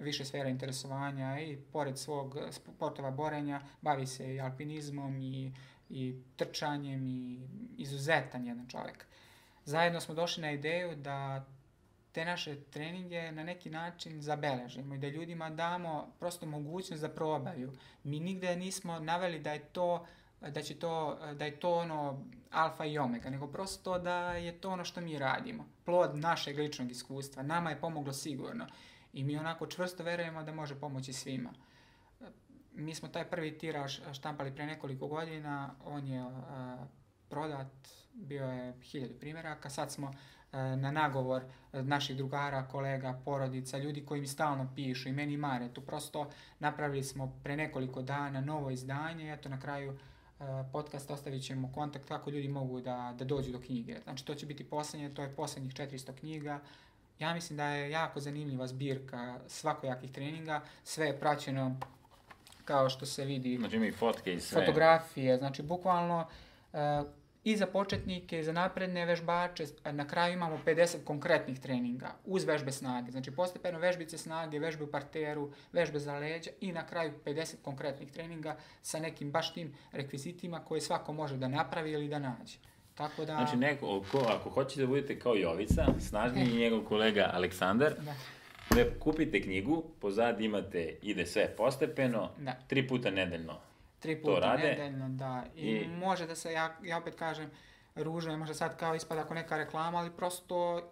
više sfera interesovanja i pored svog sportova borenja bavi se i alpinizmom i trčanjem i izuzetan jedan čovjek. Zajedno smo došli na ideju da te naše treninge na neki način zabeležimo i da ljudima damo prosto mogućnost da probaju. Mi nigde nismo naveli da je to ono alfa i omega, nego prosto da je to ono što mi radimo. Plod našeg ličnog iskustva. Nama je pomoglo sigurno i mi onako čvrsto verujemo da može pomoći svima. Mi smo taj prvi tiraž štampali pre nekoliko godina, on je prodat, bio je 1000 primjeraka, sad smo na nagovor naših drugara, kolega, porodica, ljudi koji mi stalno pišu i meni mare, tu prosto napravili smo pre nekoliko dana novo izdanje, eto na kraju podcast ostavit ćemo kontakt kako ljudi mogu da dođu do knjige. Znači to će biti posljednje, to je posljednjih 400 knjiga. Ja mislim da je jako zanimljiva zbirka svakojakih treninga, sve je praćeno kao što se vidi. Znači ima i fotke i sve. Fotografije, znači bukvalno i za početnike, i za napredne vežbače, na kraju imamo 50 konkretnih treninga uz vežbe snage. Znači postepeno vežbice snage, vežbe u parteru, vežbe za leđa i na kraju 50 konkretnih treninga sa nekim baš tim rekvizitima koje svako može da napravi ili da nađe. Tako da... Znači ako hoćete da budete kao Jovica, snažniji i njegov kolega Aleksandar, da kupite knjigu, pozad imate ide sve postepeno, 3 puta nedeljno. 3 puta nedeljno, da. I može da se, ja opet kažem, ružno je možda sad kao ispada ako neka reklama, ali prosto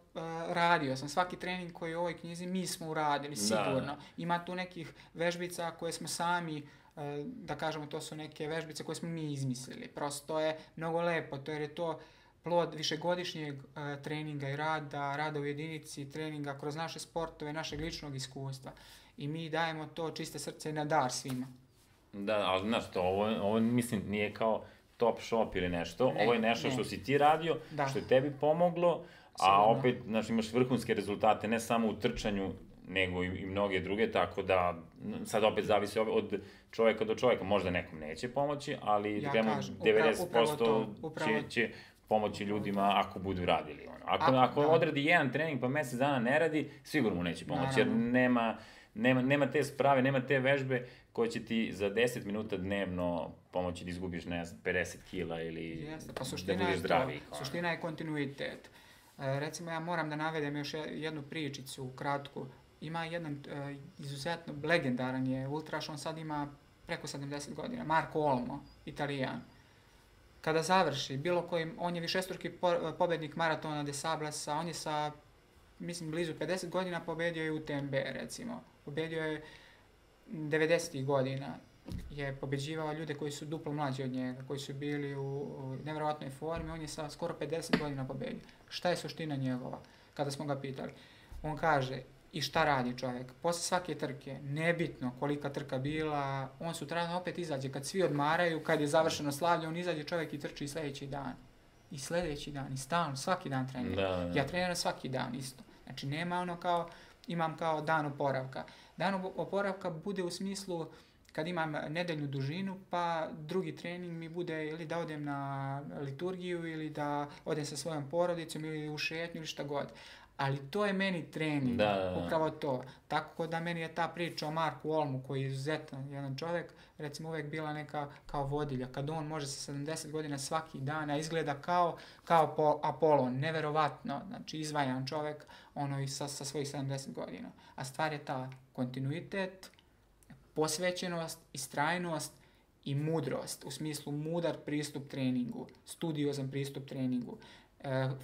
radio sam. Svaki trening koji je u ovoj knjizi mi smo uradili, sigurno. Da. Ima tu nekih vežbica koje smo sami, da kažemo, to su neke vežbice koje smo mi izmislili. Prosto je mnogo lepo, jer je to plod višegodišnjeg treninga i rada u jedinici, treninga kroz naše sportove, našeg ličnog iskustva. I mi dajemo to čiste srce na dar svima. Da, ali znaš to, ovo mislim nije kao top shop ili nešto, ovo je nešto što si ti radio, što je tebi pomoglo, a opet znači, imaš vrhunske rezultate ne samo u trčanju, nego i mnoge druge, tako da sad opet zavisi od čovjeka do čovjeka, možda nekom neće pomoći, ali ja 90% će pomoći ljudima ako budu radili. Ako odradi jedan trening pa mjesec dana ne radi, sigurno mu neće pomoći, jer nema te sprave, nema te vežbe koje će ti za 10 minuta dnevno pomoći da izgubiš 50 kila ili da budeš zdraviji. Suština je kontinuitet. Recimo ja moram da navedem još jednu pričicu kratku. Ima jedan izuzetno legendaran je ultraš, on sad ima preko 70 godina, Marko Olmo, Italijan. Kada završi bilo kojim, on je višestruki pobednik maratona de Sablasa, on je sa, mislim, blizu 50 godina pobedio je UTMB, recimo. Pobedio je 90. godina, je pobeđivao ljude koji su duplo mlađi od njega, koji su bili u nevjerojatnoj formi, on je sa skoro 50 godina pobedio. Šta je suština njegova? Kada smo ga pitali, on kaže, i šta radi čovjek? Posle svake trke, nebitno kolika trka bila, on sutradan opet izađe, kad svi odmaraju, kad je završeno slavlje, on izađe čovjek i trči i sljedeći dan. I sljedeći dan, i stalno, svaki dan treniram. Ja treniram svaki dan isto. Znači nema ono kao, imam kao dan oporavka. Dan oporavka bude u smislu kad imam nedeljnu dužinu, pa drugi trening mi bude ili da odem na liturgiju ili da odem sa svojom porodicom ili u šetnju ili šta god. Ali to je meni trening, upravo to. Tako da meni je ta priča o Marku Olmu, koji je izuzetan jedan čovjek, recimo uvijek bila neka kao vodilja. Kad on može sa 70 godina svaki dan, a izgleda kao Apolon, neverovatno, znači izvajan čovjek, ono i sa svojih 70 godina. A stvar je ta kontinuitet, posvećenost, istrajnost i mudrost, u smislu mudar pristup treningu, studiozan pristup treningu,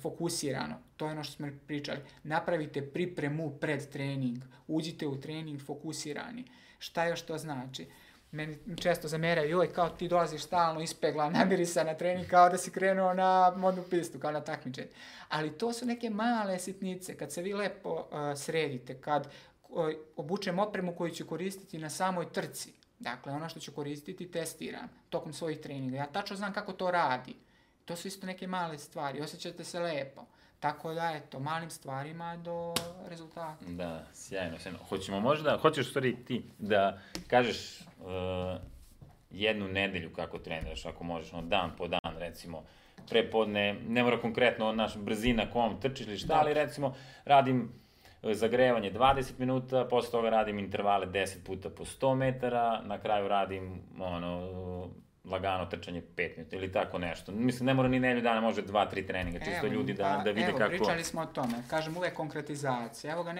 fokusirano, to je ono što smo pričali. Napravite pripremu pred trening, uđite u trening fokusirani. Šta još to znači? Meni često zameraju, joj, kao ti dolaziš stalno ispeglan, namirisan na trening, kao da si krenuo na modnu pistu, kao na takmičenje. Ali to su neke male sitnice, kad se vi lepo sredite, kad obučem opremu koju ću koristiti na samoj trci. Dakle, ono što ću koristiti testiram tokom svojih treninga. Ja tačno znam kako to radi. To su isto neke male stvari. Osjećate se lepo. Tako da, eto, malim stvarima do rezultata. Da, sjajno. Hoćeš stvari ti da kažeš jednu nedelju kako treniraš, ako možeš, dan po dan, recimo, prepodne, ne mora konkretno naš brzina kom trčiš ili šta, ali recimo radim zagrevanje 20 minuta, posle toga radim intervale 10 puta po 100 metara, na kraju radim lagano trčanje 5 minuta ili tako nešto. Mislim, ne mora ni nedelju dana, može 2-3 treninga, čisto ljudi da vide kako... Evo, pričali smo o tome, kažem uvek konkretizacija. Evo ga,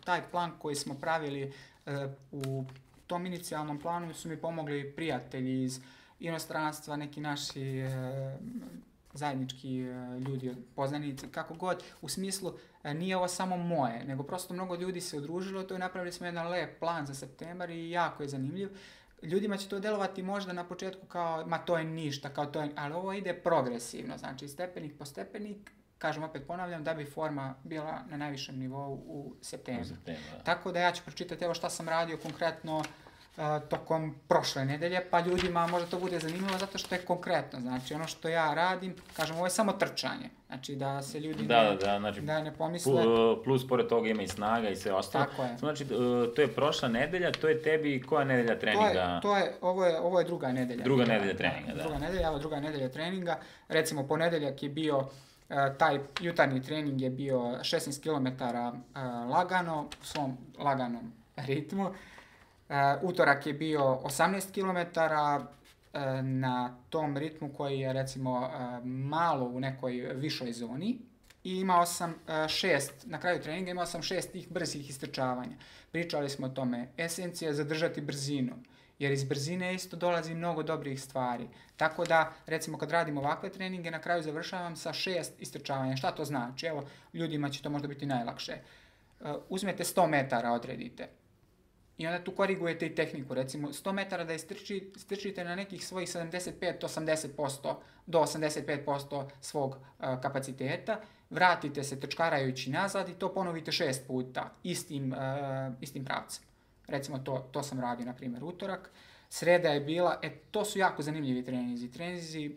taj plan koji smo pravili u tom inicijalnom planu su mi pomogli prijatelji iz inostranstva, neki naši zajednički ljudi, poznanici, kako god, u smislu nije ovo samo moje, nego prosto mnogo ljudi se udružilo, to je napravili smo jedan lep plan za septembar i jako je zanimljiv. Ljudima će to delovati možda na početku kao, ma to je ništa, kao to je, ali ovo ide progresivno, znači stepenik po stepenik, kažem opet ponavljam, da bi forma bila na najvišem nivou u septembru. Tako da ja ću pročitati evo šta sam radio konkretno tokom prošle nedelje, pa ljudima možda to bude zanimljivo zato što je konkretno, znači ono što ja radim, kažem, ovo je samo trčanje, znači da se ljudi ne pomisle. Plus pored toga ima i snaga i sve ostalo. Tako je. Znači, to je prošla nedelja, to je tebi koja nedelja treninga? Ovo je druga nedelja. Druga nedelja treninga, da. Druga nedelja treninga, recimo ponedeljak je bio, taj jutarnji trening je bio 16 km lagano, u svom laganom ritmu. Utorak je bio 18 km na tom ritmu koji je recimo malo u nekoj višoj zoni i imao sam na kraju treninga imao sam 6 tih brzih istrčavanja. Pričali smo o tome, esencija je zadržati brzinu, jer iz brzine isto dolazi mnogo dobrih stvari. Tako da, recimo kad radim ovakve treninge, na kraju završavam sa 6 istrčavanja. Šta to znači? Evo, ljudima će to možda biti najlakše. Uzmete 100 metara, odredite. I onda tu korigujete i tehniku, recimo 100 metara da istrčite na nekih svojih 75-80% do 85% svog kapaciteta, vratite se trčkarajući nazad i to ponovite 6 puta istim pravcem. Recimo to sam radio, na primjer, utorak. Sreda je bila, to su jako zanimljivi treninzi,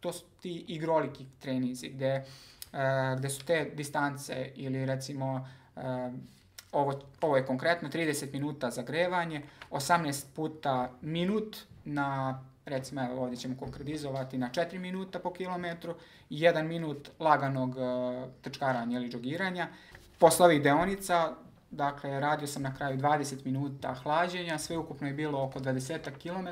to su ti igroliki treninzi gde su te distance ili recimo ovo je konkretno 30 minuta zagrevanje, 18 puta minut na, recimo evo ovdje ćemo konkretizovati na 4 minuta po kilometru i 1 minut laganog trčkaranja ili džogiranja. Posle ovih deonica, dakle, radio sam na kraju 20 minuta hlađenja, sve ukupno je bilo oko 20 km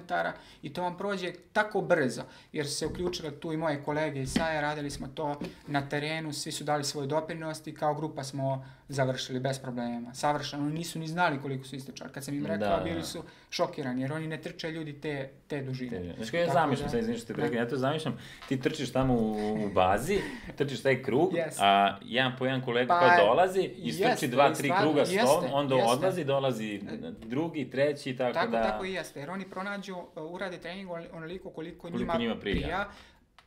i to vam prođe tako brzo, jer su se uključile tu i moje kolege iz SAE, radili smo to na terenu, svi su dali svoj doprinos i kao grupa smo završili bez problema. Savršeno, nisu ni znali koliko su istrčali. Kad sam im rekao, bili su šokirani, jer oni ne trče ljudi te dužine. Znači, ja zamišljam, ja to zamišljam, ti trčiš tamo u bazi, trčiš taj krug, a jedan po jedan kolega kao dolazi i strči 2-3 kruga s tom, onda odlazi, dolazi drugi, treći, tako da... Tako i jeste, jer oni pronađu, urade trening onoliko koliko njima prija.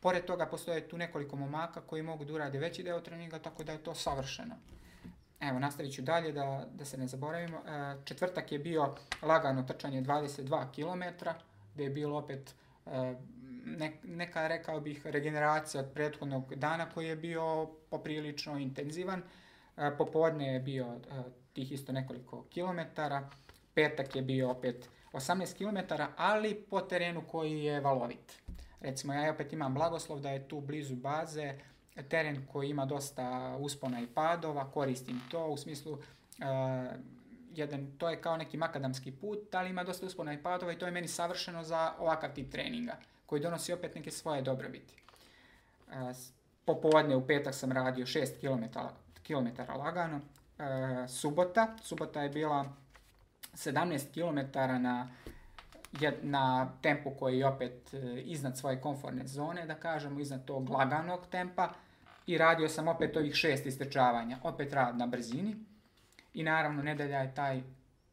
Pored toga postoje tu nekoliko momaka koji mogu da urade veći deo treninga, tako da je to savršeno. Evo, nastavit ću dalje da se ne zaboravimo. Četvrtak je bio lagano trčanje 22 km, gde je bilo opet neka, rekao bih, regeneracija od prethodnog dana koji je bio poprilično intenzivan. Popodne je bio tih isto nekoliko kilometara. Petak je bio opet 18 km, ali po terenu koji je valovit. Recimo, ja opet imam blagoslov da je tu blizu baze teren koji ima dosta uspona i padova, koristim to u smislu to je kao neki makadamski put, ali ima dosta uspona i padova i to je meni savršeno za ovakav tip treninga koji donosi opet neke svoje dobrobiti. Popodne u petak sam radio 6 km lagano. Subota je bila 17 km na tempu koji je opet iznad svoje komfortne zone, da kažemo, iznad tog laganog tempa, i radio sam opet ovih 6 istrčavanja, opet rad na brzini i naravno nedelja je taj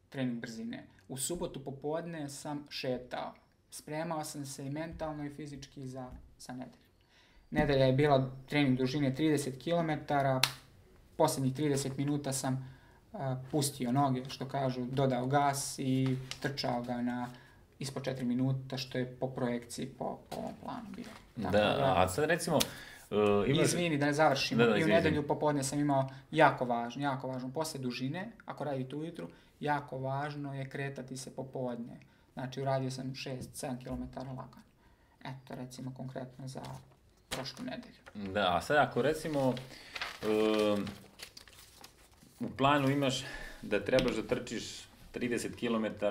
trening brzine. U subotu popodne sam šetao, spremao sam se i mentalno i fizički za nedelju. Nedelja je bila trening dužine 30 km, posljednjih 30 minuta sam pustio noge, što kažu, dodao gas i trčao ga na ispod 4 minuta, što je po projekciji, po ovom planu bio. A sad recimo... Izvini, da ne završimo. I u nedelju popodne sam imao jako važno, posle dužine, ako radite ujutru, jako važno je kretati se popodne. Znači, uradio sam 6-7 km lagano. Eto, recimo, konkretno za prošlu nedelju. Da, a sad ako recimo u planu imaš da trebaš da trčiš 30 km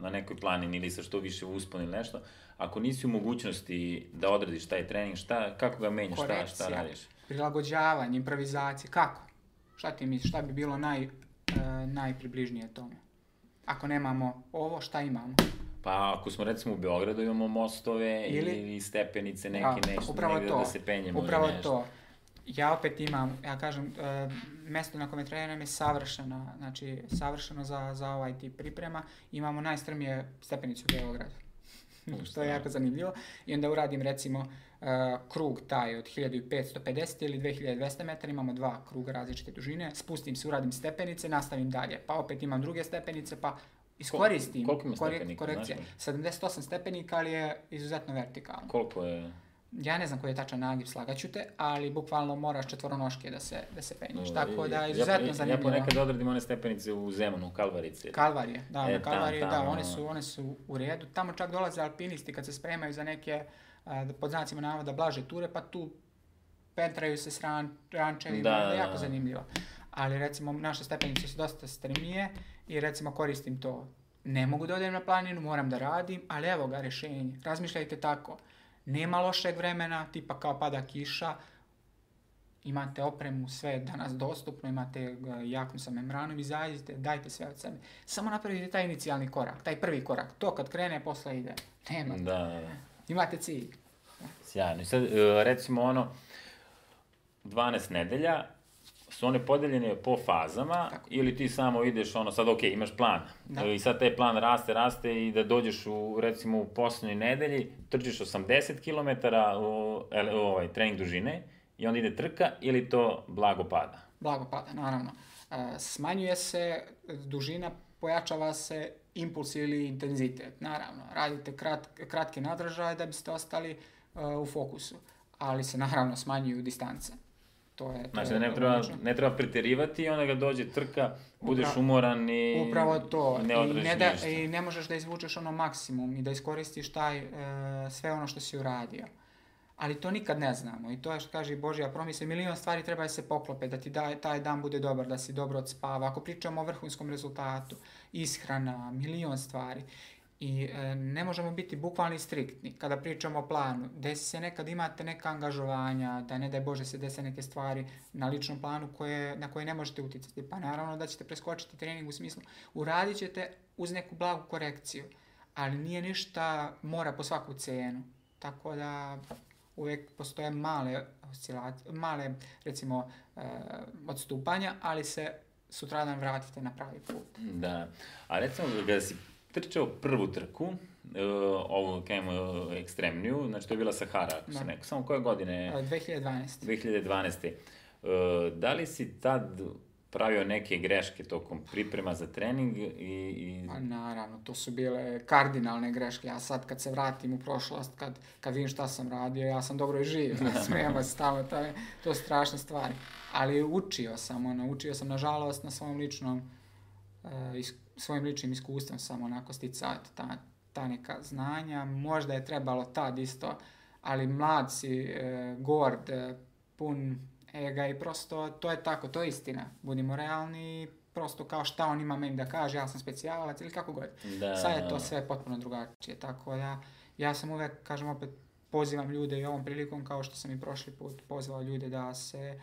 na nekoj planini ili sa što više uspon ili nešto, ako nisi u mogućnosti da odradiš taj trening, kako ga menjaš, šta radiš? Prilagođavanje, improvizacija, kako? Šta ti misliš, šta bi bilo najpribližnije tome? Ako nemamo ovo, šta imamo? Pa ako smo recimo u Beogradu imamo mostove ili stepenice neke nešto, negdje da se penjemo. Upravo to. Ja opet imam, ja kažem, mesto na kome treniram je savršeno, znači savršeno za ovaj tip priprema. Imamo najstrmije stepenicu u Beogradu, što je jako zanimljivo. I onda uradim recimo krug taj od 1550 ili 2200 metara, imamo 2 kruga različite dužine, spustim se, uradim stepenice, nastavim dalje, pa opet imam druge stepenice, pa iskoristim korekcije. 78 stepenika, ali je izuzetno vertikalno. Koliko je? Ja ne znam koji je tačan nagib, slagaću te, ali bukvalno moraš četvoronoške da se penješ, tako da je izuzetno zanimljivo. Ja ponekad odradim one stepenice u Zemunu, Kalvarice. Kalvarije, one su u redu. Tamo čak dolaze alpinisti kad se spremaju za neke, pod znacima navoda, blaže ture, pa tu pentraju se s rančevima, jako zanimljivo. Ali recimo naše stepenice su dosta strmije i recimo koristim to. Ne mogu da odem na planinu, moram da radim, ali evo ga rješenje. Razmišljajte tako. Nema lošeg vremena, tipa kao pada kiša, imate opremu, sve je danas dostupno, imate jaknu sa membranom, izađite, dajte sve od sebe. Samo napravite taj inicijalni korak, taj prvi korak, to kad krene, posle ide. Nema. Da. Imate cilj. Sjajno. I sad, recimo 12 nedelja, su one podeljene po fazama, ili ti samo ideš, sad imaš plan, i sad taj plan raste i da dođeš recimo u posljednjoj nedelji, trčiš 80 km trening dužine i onda ide trka ili to blago pada? Blago pada, naravno. Smanjuje se dužina, pojačava se impuls ili intenzitet, naravno. Radite kratke nadržaje da biste ostali u fokusu, ali se naravno smanjuju distance. Znači da ne treba pretjerivati i onda ga dođe trka, budeš umoran i ne odradiš ništa. I ne možeš da izvučeš maksimum i da iskoristiš sve ono što si uradio. Ali to nikad ne znamo i to je što kaže i Božja promisla. Milion stvari treba da se poklope, da ti taj dan bude dobar, da si dobro odspava. Ako pričamo o vrhunskom rezultatu, ishrana, milion stvari. I ne možemo biti bukvalni striktni kada pričamo o planu. Desi se nekad imate neka angažovanja, da ne daj Bože se dese neke stvari na ličnom planu na koje ne možete uticati. Pa naravno da ćete preskočiti trening u smislu uradit ćete uz neku blagu korekciju, ali nije ništa mora po svaku cenu. Tako da uvijek postoje male recimo odstupanja, ali se sutradan vratite na pravi put. Da, a recimo kada si trčao prvu trku, ovu ekstremniju, znači to je bila Sahara, ako se neko, samo koje godine? 2012. Da li si tad pravio neke greške tokom priprema za trening Pa naravno, to su bile kardinalne greške. Ja sad kad se vratim u prošlost, kad vidim šta sam radio, ja sam dobro i živ, smijemo se tamo, to su strašne stvari. Ali učio sam nažalost na svojim ličnim iskustvom sam onako sticati ta neka znanja. Možda je trebalo tad isto, ali mlad si, gord, pun ega i prosto to je tako, to je istina. Budimo realni, prosto kao šta on ima meni da kaže, ja sam specijalac ili kako god. Sad je to sve potpuno drugačije, tako da ja sam uvek, kažem opet, pozivam ljude i ovom prilikom, kao što sam i prošli put pozvao ljude da se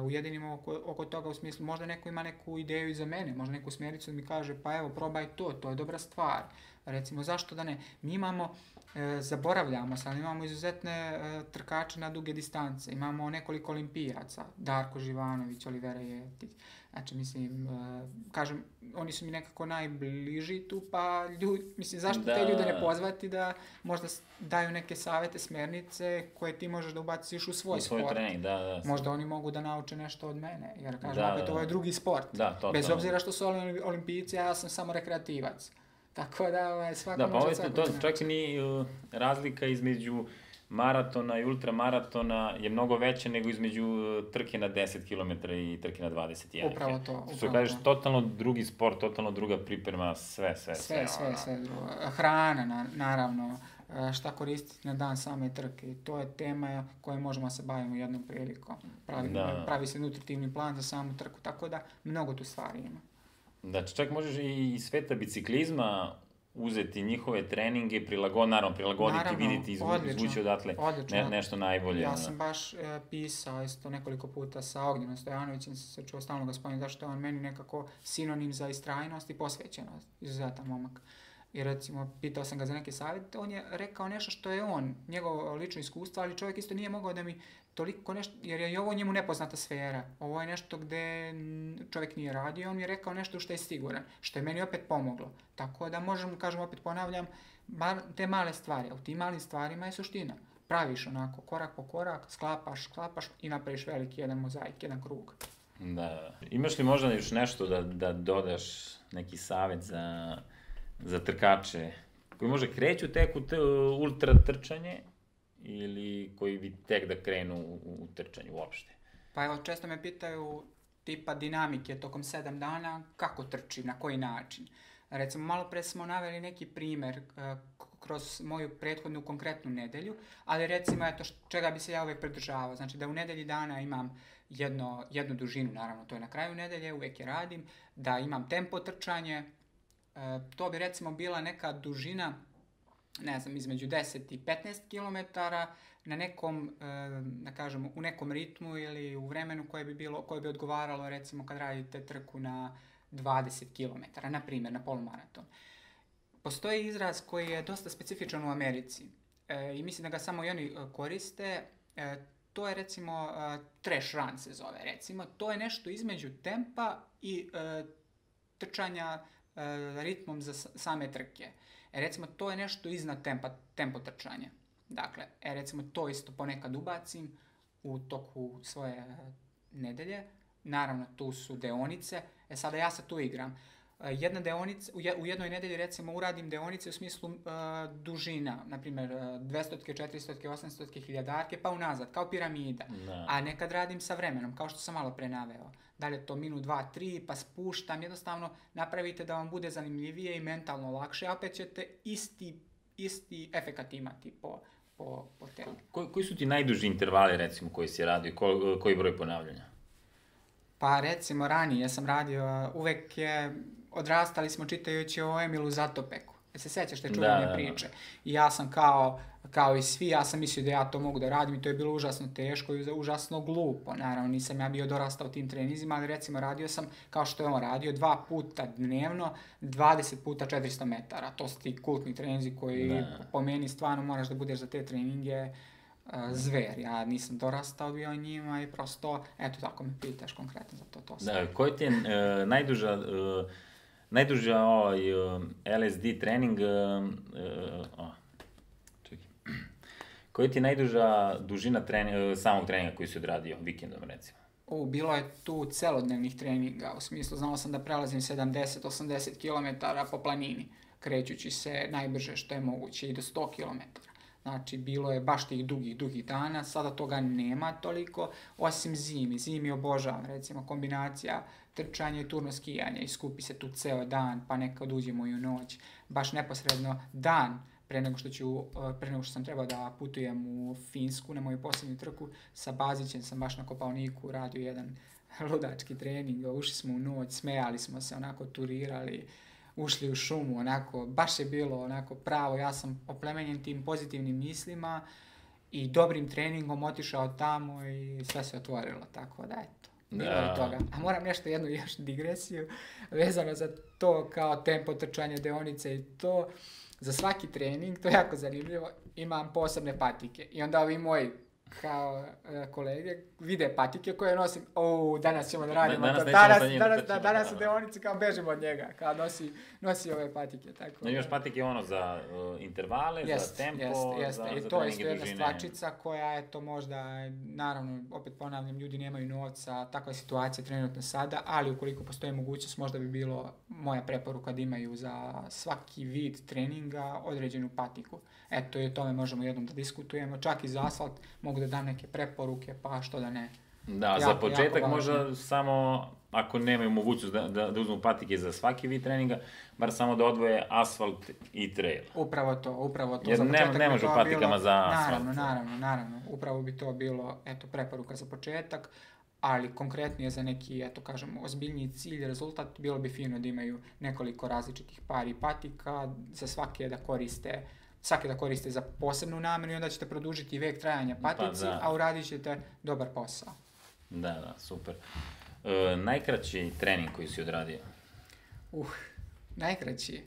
ujedinimo oko toga, u smislu možda neko ima neku ideju iza mene, možda neku smjericu da mi kaže pa evo probaj to je dobra stvar. Recimo zašto da ne, mi imamo, zaboravljamo sad, imamo izuzetne trkače na duge distance, imamo nekoliko olimpijaca, Darko Živanović, Olivera Jeftić, znači mislim, kažem, oni su mi nekako najbliži tu, pa mislim zašto te ljude ne pozvati da možda daju neke savjete, smjernice koje ti možeš da ubaciš u svoj sport. Trening, možda oni mogu da nauče nešto od mene, jer kažem, opet ovo je drugi sport, bez obzira što su olimpijci, ja sam samo rekreativac. Tako da svako može svako. To čak i ni razlika između maratona i ultramaratona je mnogo veća nego između trke na 10 km i trke na 21. Upravo to. Što kažeš, totalno drugi sport, totalno druga priprema, sve drugo. Hrana, naravno, šta koristiti na dan same trke. To je tema koje možemo se baviti jednom prilikom. Pravi se nutritivni plan za samu trku, tako da mnogo tu stvari ima. Znači, čak možeš i iz sveta biciklizma uzeti njihove treninge, prilagoditi, vidjeti, izvući odatle nešto najbolje. Ja sam baš pisao isto nekoliko puta sa Ognjenom Stojanovićem, se čuo stalno ga spomenuti, zašto je on meni nekako sinonim za istrajnost i posvećenost, izuzetan momak. I recimo, pitao sam ga za neke savjete, on je rekao nešto što je njegovo lično iskustvo, ali čovjek isto nije mogao da mi toliko nešto, jer je i ovo njemu nepoznata sfera. Ovo je nešto gde čovjek nije radio, on mi je rekao nešto što je siguran, što je meni opet pomoglo. Tako da možemo, kažem, opet ponavljam, te male stvari, a u tim malim stvarima je suština. Praviš onako, korak po korak, sklapaš i napraviš veliki jedan mozaik, jedan krug. Da. Imaš li možda još nešto da dodaš neki savjet za trkače koji možda kreću tek u ultra trčanje ili koji bi tek da krenu u trčanju uopšte? Pa evo, često me pitaju tipa dinamike tokom 7 dana, kako trčim, na koji način. Recimo, malo pre smo naveli neki primer kroz moju prethodnu konkretnu nedelju, ali recimo, eto, čega bi se ja uvek pridržavao. Znači, da u nedelji dana imam jednu dužinu, naravno, to je na kraju nedelje, uvek je radim, da imam tempo trčanje, to bi recimo bila neka dužina, ne znam, između 10 i 15 km na nekom, da kažemo, u nekom ritmu ili u vremenu koje bi odgovaralo recimo kad radite trku na 20 km, na primjer na polumaraton. Postoji izraz koji je dosta specifičan u Americi i mislim da ga samo i oni koriste, to je recimo trash run se zove, recimo, to je nešto između tempa i trčanja ritmom za same trke. Recimo, to je nešto iznad tempo trčanja. Dakle, recimo, to isto ponekad ubacim u toku svoje nedelje. Naravno, tu su deonice. Sada ja se tu igram. Jedna deonica, u jednoj nedelji recimo uradim deonice u smislu dužina, na primjer 200, 400, 800, 1000, pa unazad, kao piramida. A nekad radim sa vremenom, kao što sam malo pre naveo. Da li je to minut, 2, 3, pa spuštam, jednostavno napravite da vam bude zanimljivije i mentalno lakše, a opet ćete isti efekat imati po telu. Koji su ti najduži intervali recimo koji si radio, koji broj ponavljanja? Pa recimo ranije sam radio, uvek odrastali smo čitajući o Emilu Zatopeku. Se sećaš te čuvene priče? I ja sam kao i svi, ja sam mislio da ja to mogu da radim i to je bilo užasno teško i užasno glupo. Naravno, nisam ja bio dorastao tim treninzima, ali recimo radio sam, kao što je on radio, 2 puta dnevno, 20 puta 400 metara. To su ti kultni treninzi koji po meni stvarno moraš da budeš za te treninge zver. Ja nisam dorastao bio njima i prosto, eto tako me pitaš konkretno za to. Da, koji ti je najduža LSD trening, koji ti je najduža dužina samog treninga koji si odradio vikendom, recimo? Bilo je tu celodnevnih treninga, u smislu znao sam da prelazim 70-80 km po planini, krećući se najbrže što je moguće i do 100 km. Znači, bilo je baš tih dugih dana, sada toga nema toliko, osim zimi. Zimi obožavam, recimo, kombinacija trčanja i turno skijanja i skupi se tu ceo dan, pa nekad uđemo i u noć. Baš neposredno dan pre nego što sam trebao da putujem u Finsku na moju posljednju trku, sa Bazićem sam baš na Kopaoniku radio jedan ludački trening, ušli smo u noć, smejali smo se, onako turirali, ušli u šumu, onako, baš je bilo onako pravo, ja sam oplemenjen tim pozitivnim mislima i dobrim treningom otišao tamo i sve se otvorilo, tako da eto. Bilo je toga. A moram jednu još digresiju vezano za to kao tempo trčanja deonice i to. Za svaki trening, to je jako zanimljivo, imam posebne patike. I onda ovi moji kao kolege vide patike koje nosim. Danas ćemo da radimo to. Danas u deonici kao bežimo od njega. Kao nosi ove patike. Tako. Imaš patike za intervale, za tempo, za I to je isto jedna stvačica koja je to možda, naravno, opet ponavljam, ljudi nemaju novca, takva je situacija trenutno sada, ali ukoliko postoji mogućnost, možda bi bilo moja preporuka da imaju za svaki vid treninga određenu patiku. Eto, i o tome možemo jednom da diskutujemo. Čak i za asfalt mogu da dam neke preporuke, pa što da ne. Da, za početak možda samo, ako nemaju mogućnost da uzmu patike za svaki vid treninga, bar samo da odvoje asfalt i trail. Upravo to. Jer ne može u patikama za asfalt. Naravno. Upravo bi to bilo, preporuka za početak, ali konkretnije za neki, ozbiljniji cilj, rezultat, bilo bi fino da imaju nekoliko različitih pari patika, za svake da koriste za posebnu namenu i onda ćete produžiti vek trajanja patici, a uradit ćete dobar posao. Da, super. Najkraći trening koji si odradio? Najkraći?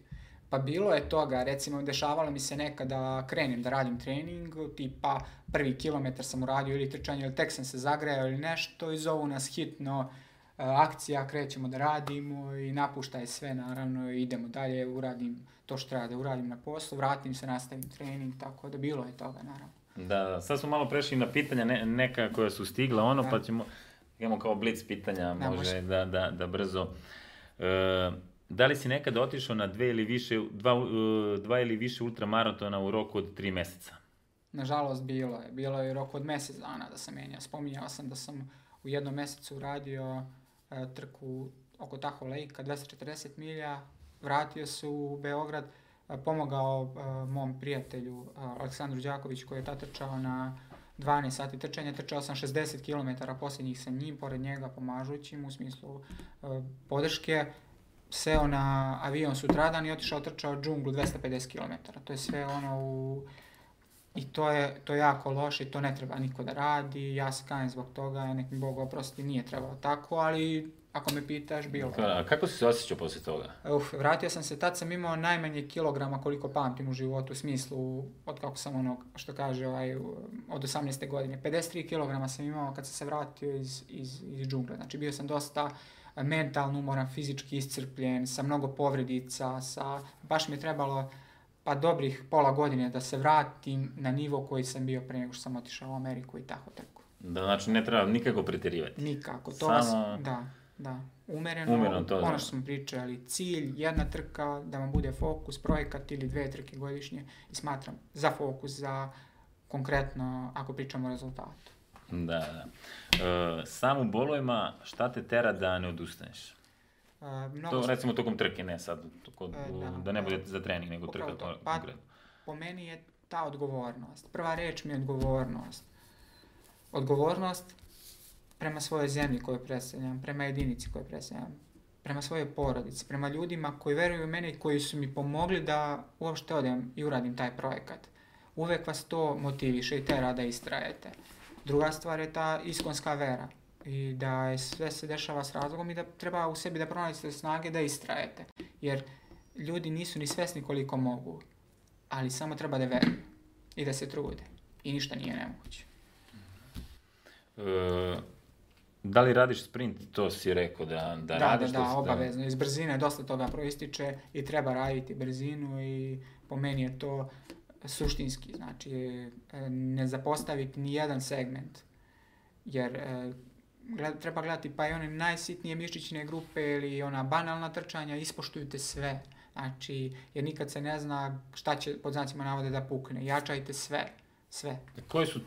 Pa bilo je toga, recimo dešavalo mi se nekada da krenem da radim trening, tipa 1 kilometar sam uradio ili trčanje ili tek sam se zagrejao ili nešto i zovu nas hitno, akcija, krećemo da radimo i napuštaj sve naravno i idemo dalje, uradim to što treba da uradim na poslu, vratim se, nastavim trening, tako da bilo je toga naravno. Da, sad smo malo prešli na pitanja neka koja su stigla, pa imamo kao blic pitanja, može da brzo. Da li si nekada otišao na 2 ili više ultramaratona u roku od 3 meseca? Nažalost bilo je u roku od mjesec dana da sam menjao. Spominjao sam da sam u jednom mjesecu uradio trku oko Tahoe Lake-a, 240 milja, vratio se u Beograd, pomogao mom prijatelju Aleksandru Đakoviću koji je tad trčao na 12 sati trčanja, trčao sam 60 km posljednjih sa njim, pored njega pomažući mu u smislu podrške, seo na avion sutradan i otišao trčao džunglu 250 km. To je sve i to je jako loše i to ne treba niko da radi, ja se kajem zbog toga, nek mi Bog oprosti, nije trebalo tako, ali ako me pitaš, bilo. A kako si se osjećao poslije toga? Vratio sam se, tad sam imao najmanje kilograma koliko pamtim u životu, u smislu, od kako sam od 18. godine. 53 kilograma sam imao kad sam se vratio iz džungle, znači bio sam dosta mentalno umoran, fizički iscrpljen, sa mnogo povredica, baš mi je trebalo dobrih pola godine da se vratim na nivo koji sam bio pre nego što sam otišao u Ameriku i tako trku. Da, znači ne treba nikako pretjerivati. Nikako, da. Umereno Ono što smo pričali, cilj, jedna trka, da vam bude fokus, projekat ili 2 trke godišnje i smatram za fokus, za konkretno, ako pričamo o rezultatu. Da. Sam u bolovima, šta te tera da ne odustaneš? To recimo tokom trke, ne sad, da ne bude za trening, nego trka konkretno. Po meni je ta odgovornost. Prva reč mi je odgovornost. Odgovornost prema svojoj zemlji koju predstavljam, prema jedinici koju predstavljam, prema svojoj porodici, prema ljudima koji veruju u mene i koji su mi pomogli da uopšte odem i uradim taj projekat. Uvek vas to motiviše i tera da istrajete. Druga stvar je ta iskonska vera i da sve se dešava s razlogom i da treba u sebi da pronađete snage da istrajete. Jer ljudi nisu ni svesni koliko mogu, ali samo treba da veruju i da se trude i ništa nije nemoguće. Da li radiš sprint? To si rekao da radiš? Da, obavezno. Iz brzine dosta toga proističe i treba raditi brzinu i po meni je to suštinski. Znači, ne zapostaviti ni jedan segment. Jer treba gledati pa i one najsitnije mišićne grupe ili ona banalna trčanja, ispoštujte sve. Znači, jer nikad se ne zna šta će pod znacima navode da pukne. Jačajte sve. Koje su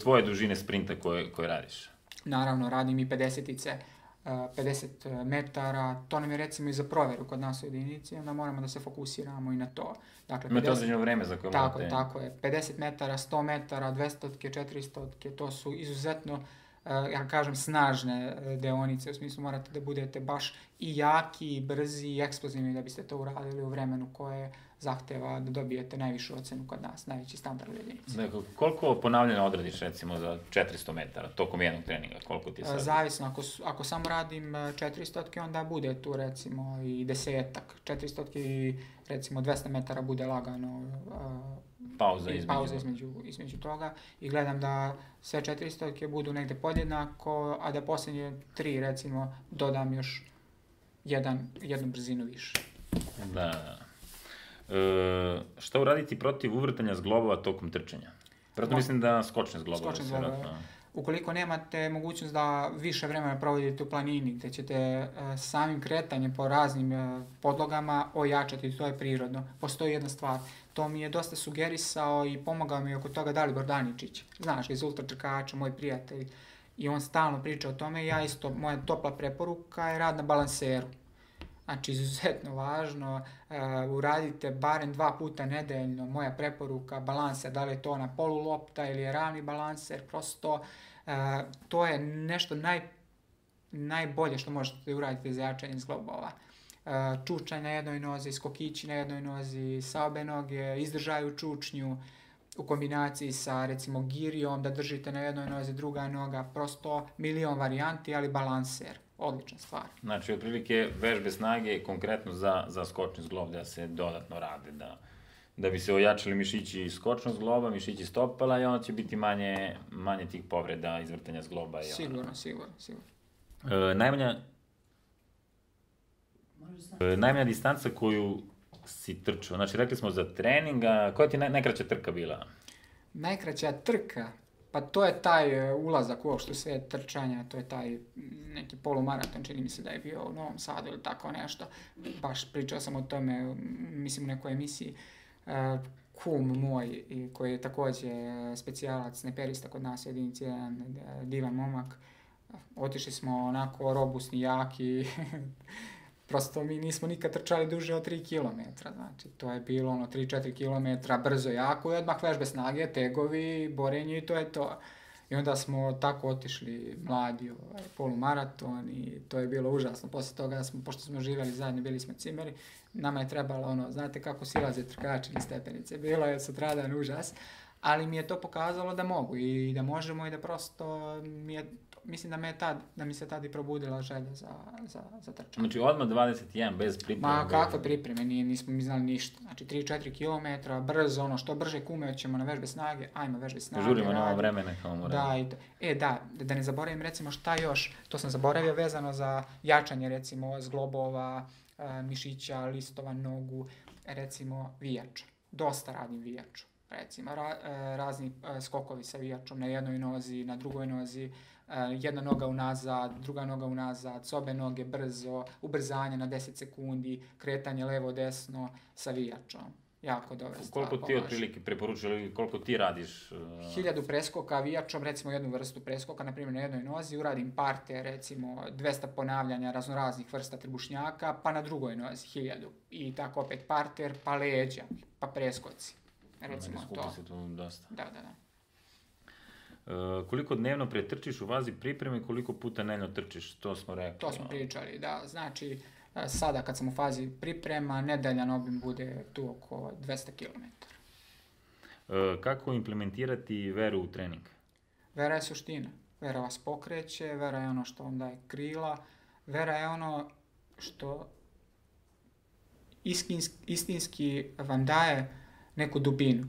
tvoje dužine sprinta koje radiš? Naravno, radim i 50-ice. 50 metara, to nam je recimo i za provjeru kod nas u jedinici, onda moramo da se fokusiramo i na to. Dakle, imate određeno vreme za koje morate... Tako je, 50 metara, 100 metara, 200, 400, to su izuzetno, ja kažem, snažne deonice, u smislu morate da budete baš i jaki, i brzi, i eksplozivni da biste to uradili u vremenu koje zahteva da dobijete najvišu ocenu kod nas, najveći standard u jedinici. Dakle, koliko ponavljanja odradiš recimo za 400 metara tokom jednog treninga? Koliko ti je sad? Zavisno, ako samo radim 400, onda bude tu recimo i 10-ak. 400 i recimo 200 metara bude lagano pauza između toga i gledam da sve 400 budu negde podjednako, a da posljednje 3 recimo dodam još jednu brzinu više. Da. Šta uraditi protiv uvrtanja zglobova tokom trčanja? Vjerojatno mislim da skočne zglobove. Ukoliko nemate mogućnost da više vremena provodite u planini, gdje ćete samim kretanjem po raznim podlogama ojačati, to je prirodno. Postoji jedna stvar, to mi je dosta sugerisao i pomogao mi oko toga Dalibor Daničić, znaš, iz ultratrkača, moj prijatelj, i on stalno priča o tome, ja isto, moja topla preporuka je rad na balanseru. Znači, izuzetno važno, uradite barem 2 puta nedeljno, moja preporuka, balanser, da li je to ona polulopta ili je ravni balanser, prosto to je nešto najbolje što možete uraditi za jačanje zglobova. Čučanj na jednoj nozi, skokići na jednoj nozi, sa obe noge, izdržaj u čučnju, u kombinaciji sa recimo girijom, da držite na jednoj nozi, druga noga, prosto milion varijanti, ali balanser. Odlična stvar. Znači, otprilike vežbe snage konkretno za skočni zglob da se dodatno rade, da bi se ojačali mišići skočnog zgloba, mišići stopala i onda će biti manje tih povreda, izvrtanja zgloba. Sigurno. Najmanja distanca koju si trčao, znači rekli smo za treninga, koja ti je najkraća trka bila? Najkraća trka? Pa to je taj ulazak uopšte u svijet trčanja, to je taj neki polumaraton, čini mi se da je bio u Novom Sadu ili tako nešto. Baš pričao sam o tome, mislim u nekoj emisiji. Kum moj, koji je također specijalac, sneperista kod nas u jedinici, jedan divan momak. Otišli smo onako robusni, jaki, prosto mi nismo nikad trčali duže od 3 km, znači to je bilo 3-4 km, brzo, jako i odmah vežbe snage, tegovi, borenje i to je to. I onda smo tako otišli mladi polumaraton i to je bilo užasno. Poslije toga, pošto smo živjeli zajedno, bili smo cimeri, nama je trebalo znate kako silaze trkači na stepenice, bilo je sutradan užas, ali mi je to pokazalo da mogu i da možemo i da prosto mislim da mi se tad i probudila želja za trčanje. Znači odmah 21, bez pripreme? Ma kakve pripreme, nismo mi znali ništa. Znači 3-4 km, brzo, što brže kume ćemo na vežbe snage, ajmo vežbe snage. Žurimo, nema vremena kao moramo. Da ne zaboravim recimo šta još, to sam zaboravio vezano za jačanje recimo zglobova, mišića, listova, nogu, recimo vijača. Dosta radim vijaču. Recimo razni skokovi sa vijačom na jednoj nozi, na drugoj nozi, jedna noga unazad, druga noga unazad, s obe noge brzo, ubrzanje na 10 sekundi, kretanje levo-desno sa vijačom. Jako dobra stvar. Koliko ti otprilike preporučuju ili koliko ti radiš? 1000 preskoka vijačom, recimo jednu vrstu preskoka, na primjer na jednoj nozi, uradim parte, recimo 200 ponavljanja raznoraznih vrsta trbušnjaka, pa na drugoj nozi 1000. I tako opet parter, pa leđa, pa preskoci. Recimo to. Skupi se tu dosta. Da. Koliko dnevno pretrčiš u fazi pripreme i koliko puta dnevno trčiš? To smo rekli. To smo pričali, da. Znači, sada kad sam u fazi priprema, nedeljan obim bude tu oko 200 km. Kako implementirati veru u trening? Vera je suština. Vera vas pokreće, vera je ono što vam daje krila, vera je ono što istinski vam daje neku dubinu.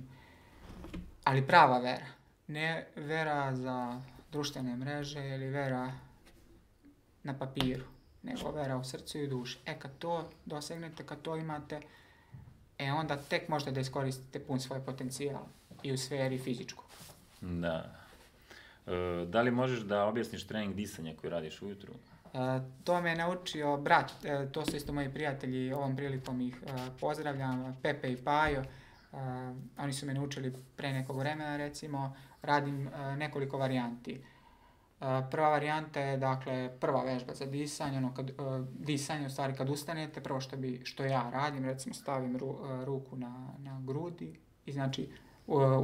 Ali prava vera. Ne vera za društvene mreže ili vera na papiru, nego vera u srcu i u duši. Kad to dosegnete, kad to imate, onda tek možete da iskoristite pun svoj potencijal i u sferi fizičkog. Da. Da li možeš da objasniš trening disanja koji radiš ujutru? To me je naučio brat, to su isto moji prijatelji, ovom prilikom ih pozdravljam, Pepe i Pajo. Oni su me naučili pre nekog vremena, recimo, radim nekoliko varijanti. Prva varijanta je, dakle, prva vežba za disanje, disanje, u stvari kad ustanete, prvo što ja radim, recimo stavim ruku na grudi i znači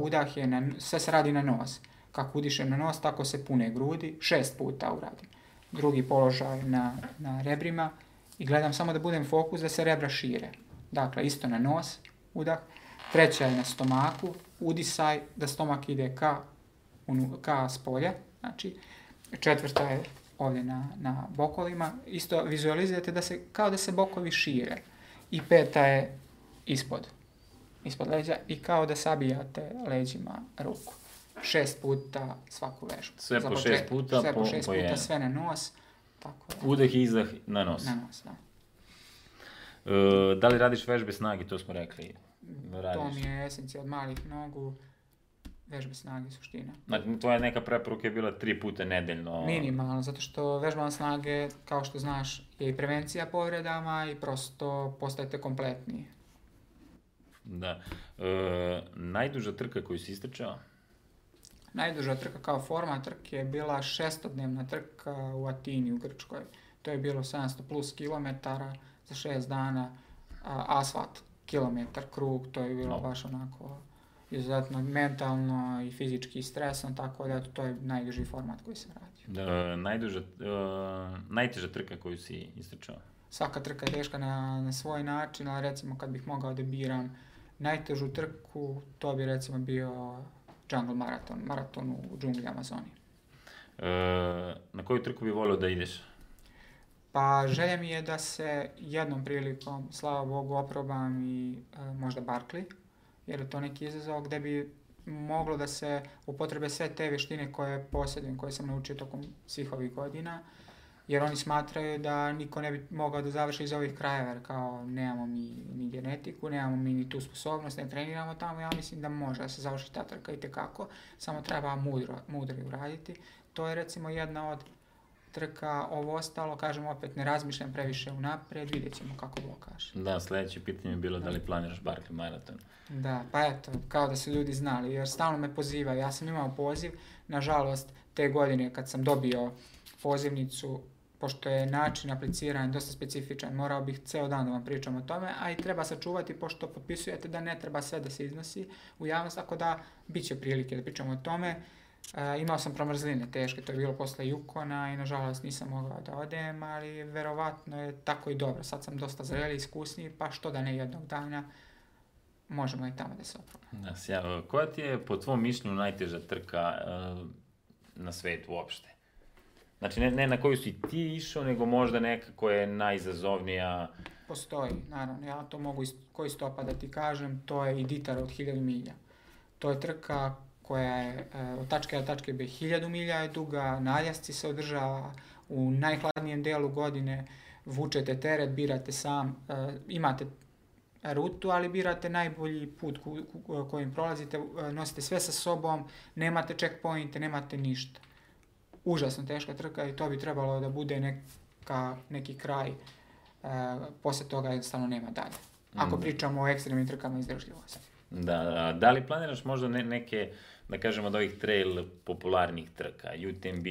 udah je, sve se radi na nos. Kako udišem na nos, tako se pune grudi, 6 puta uradim. Drugi položaj na rebrima i gledam samo da budem fokus da se rebra šire. Dakle, isto na nos, udah. Treća je na stomaku, udisaj da stomak ide ka spolje, znači četvrta je ovdje na bokovima, isto vizualizirate kao da se bokovi šire i peta je ispod leđa i kao da sabijate leđima ruku. 6 puta svaku vežbu. Sve po 6 puta, sve po 6 puta, sve na nos. Tako da. Udah i izdah na nos. Na nos, da. Da li radiš vežbe snage, to smo rekli? To mi je esencija od malih nogu, vežbe snage, suština. Znači, tvoja neka preporuka je bila 3 puta nedeljno. Minimalno, zato što vežbama snage, kao što znaš, je i prevencija povredama i prosto postajete kompletniji. Da. Najduža trka koju si istrčao? Najduža trka kao forma trke je bila 6-dnevna trka u Atini u Grčkoj. To je bilo 700 plus kilometara za 6 dana, asfalt, kilometar, krug, to je bilo baš onako izuzetno mentalno i fizički stresno, tako da to je najduži format koji sam radio. Najteža trka koju si istrčao? Svaka trka je teška na svoj način, ali recimo kad bih mogao da biram najtežu trku, to bi recimo bio jungle maraton u džungli Amazonije. Na koju trku bi volio da ideš? Pa želja mi je da se jednom prilikom, slava Bogu, oprobam i možda Barkley, jer je to neki izazov gdje bi moglo da se upotrebe sve te vještine koje posjedujem, koje sam naučio tokom svih ovih godina, jer oni smatraju da niko ne bi mogao da završi iz ovih krajeva, jer kao nemamo mi ni genetiku, nemamo mi ni tu sposobnost, ne treniramo tamo, ja mislim da može da se završi ta trka itekako, samo treba mudro uraditi. To je recimo jedna od trka, ovo ostalo, kažem opet, ne razmišljam previše unaprijed, vidjet ćemo kako Bog kaže. Da, sljedeće pitanje je bilo da li planiraš Barkley maraton. Da, pa eto, kao da su ljudi znali, jer stalno me pozivaju. Ja sam imao poziv, nažalost, te godine kad sam dobio pozivnicu, pošto je način apliciranja dosta specifičan, morao bih ceo dan da vam pričam o tome, a i treba sačuvati, pošto potpisujete da ne treba sve da se iznosi u javnost, tako da bit će prilike da pričamo o tome. Imao sam promrzline teške, to je bilo posle Yukona i nažalost nisam mogao da odem, ali verovatno je tako i dobro. Sad sam dosta zreli, iskusniji, pa što da ne jednog dana možemo i tamo da se oprobamo. Koja ti je po tvom mišljenju najteža trka na svetu uopšte? Znači ne na koju si ti išao, nego možda neka koja je najizazovnija? Postoji, naravno. Ja to mogu koji stopa da ti kažem, to je Iditar od 1000 milja. To je trka koja je od tačke A do tačke B 1000 milja je duga, na Aljasci se održava, u najhladnijem delu godine vučete teret, birate sam, imate rutu, ali birate najbolji put kojim prolazite, nosite sve sa sobom, nemate checkpointe, nemate ništa. Užasno teška trka i to bi trebalo da bude neki kraj, poslije toga jednostavno nema dalje. Ako pričamo o ekstremnim trkama izdržljivosti. Da li planiraš možda neke, da kažemo od ovih trail popularnih trka, UTMB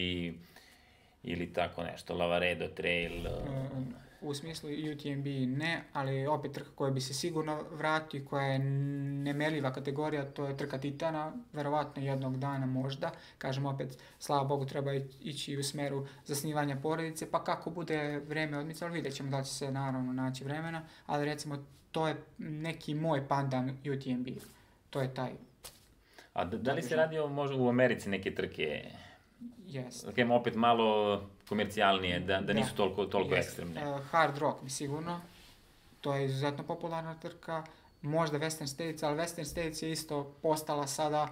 ili tako nešto, Lavaredo trail? U smislu UTMB ne, ali opet trka koja bi se sigurno vratio, koja je nemerljiva kategorija, to je trka Titana, verovatno jednog dana možda. Kažem opet, slava Bogu, treba ići u smeru zasnivanja porodice, pa kako bude vreme odmicalo, vidjet ćemo da će se naravno naći vremena, ali recimo to je neki moj pandan UTMB, to je taj. A da li se radio možda u Americi neke trke? Yes. Da kažemo opet malo komercijalnije, da nisu toliko ekstremne. Hard Rock bi sigurno, to je izuzetno popularna trka, možda Western States, ali Western States je isto postala sada,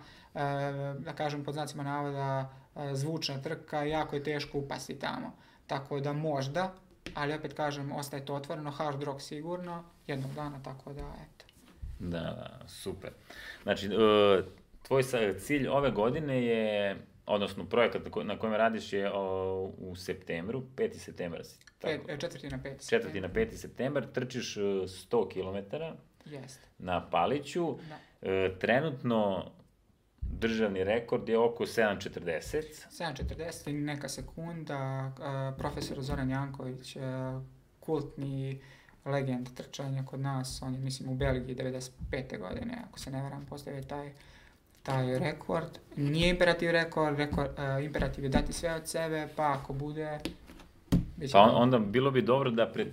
da kažem pod znacima navoda, zvučna trka, jako je teško upasti tamo. Tako da možda, ali opet kažem, ostaje to otvoreno, Hard Rock sigurno, jednog dana, tako da, eto. Da, super. Znači, tvoj cilj ove godine je, odnosno projekat na kojem radiš je u septembru, 5. septembra si. 4. na 5. 4. na 5. septembar, trčiš 100 km na Paliću. Trenutno državni rekord je oko 7.40. 7.40 i neka sekunda. Profesor Zoran Janković, kultni legend trčanja kod nas, on je, mislim, u Belgiji 95. godine, ako se ne varam, postavio taj rekord. Nije imperativ rekord, imperativ je dati sve od sebe, pa ako bude... Pa onda bilo bi dobro da pred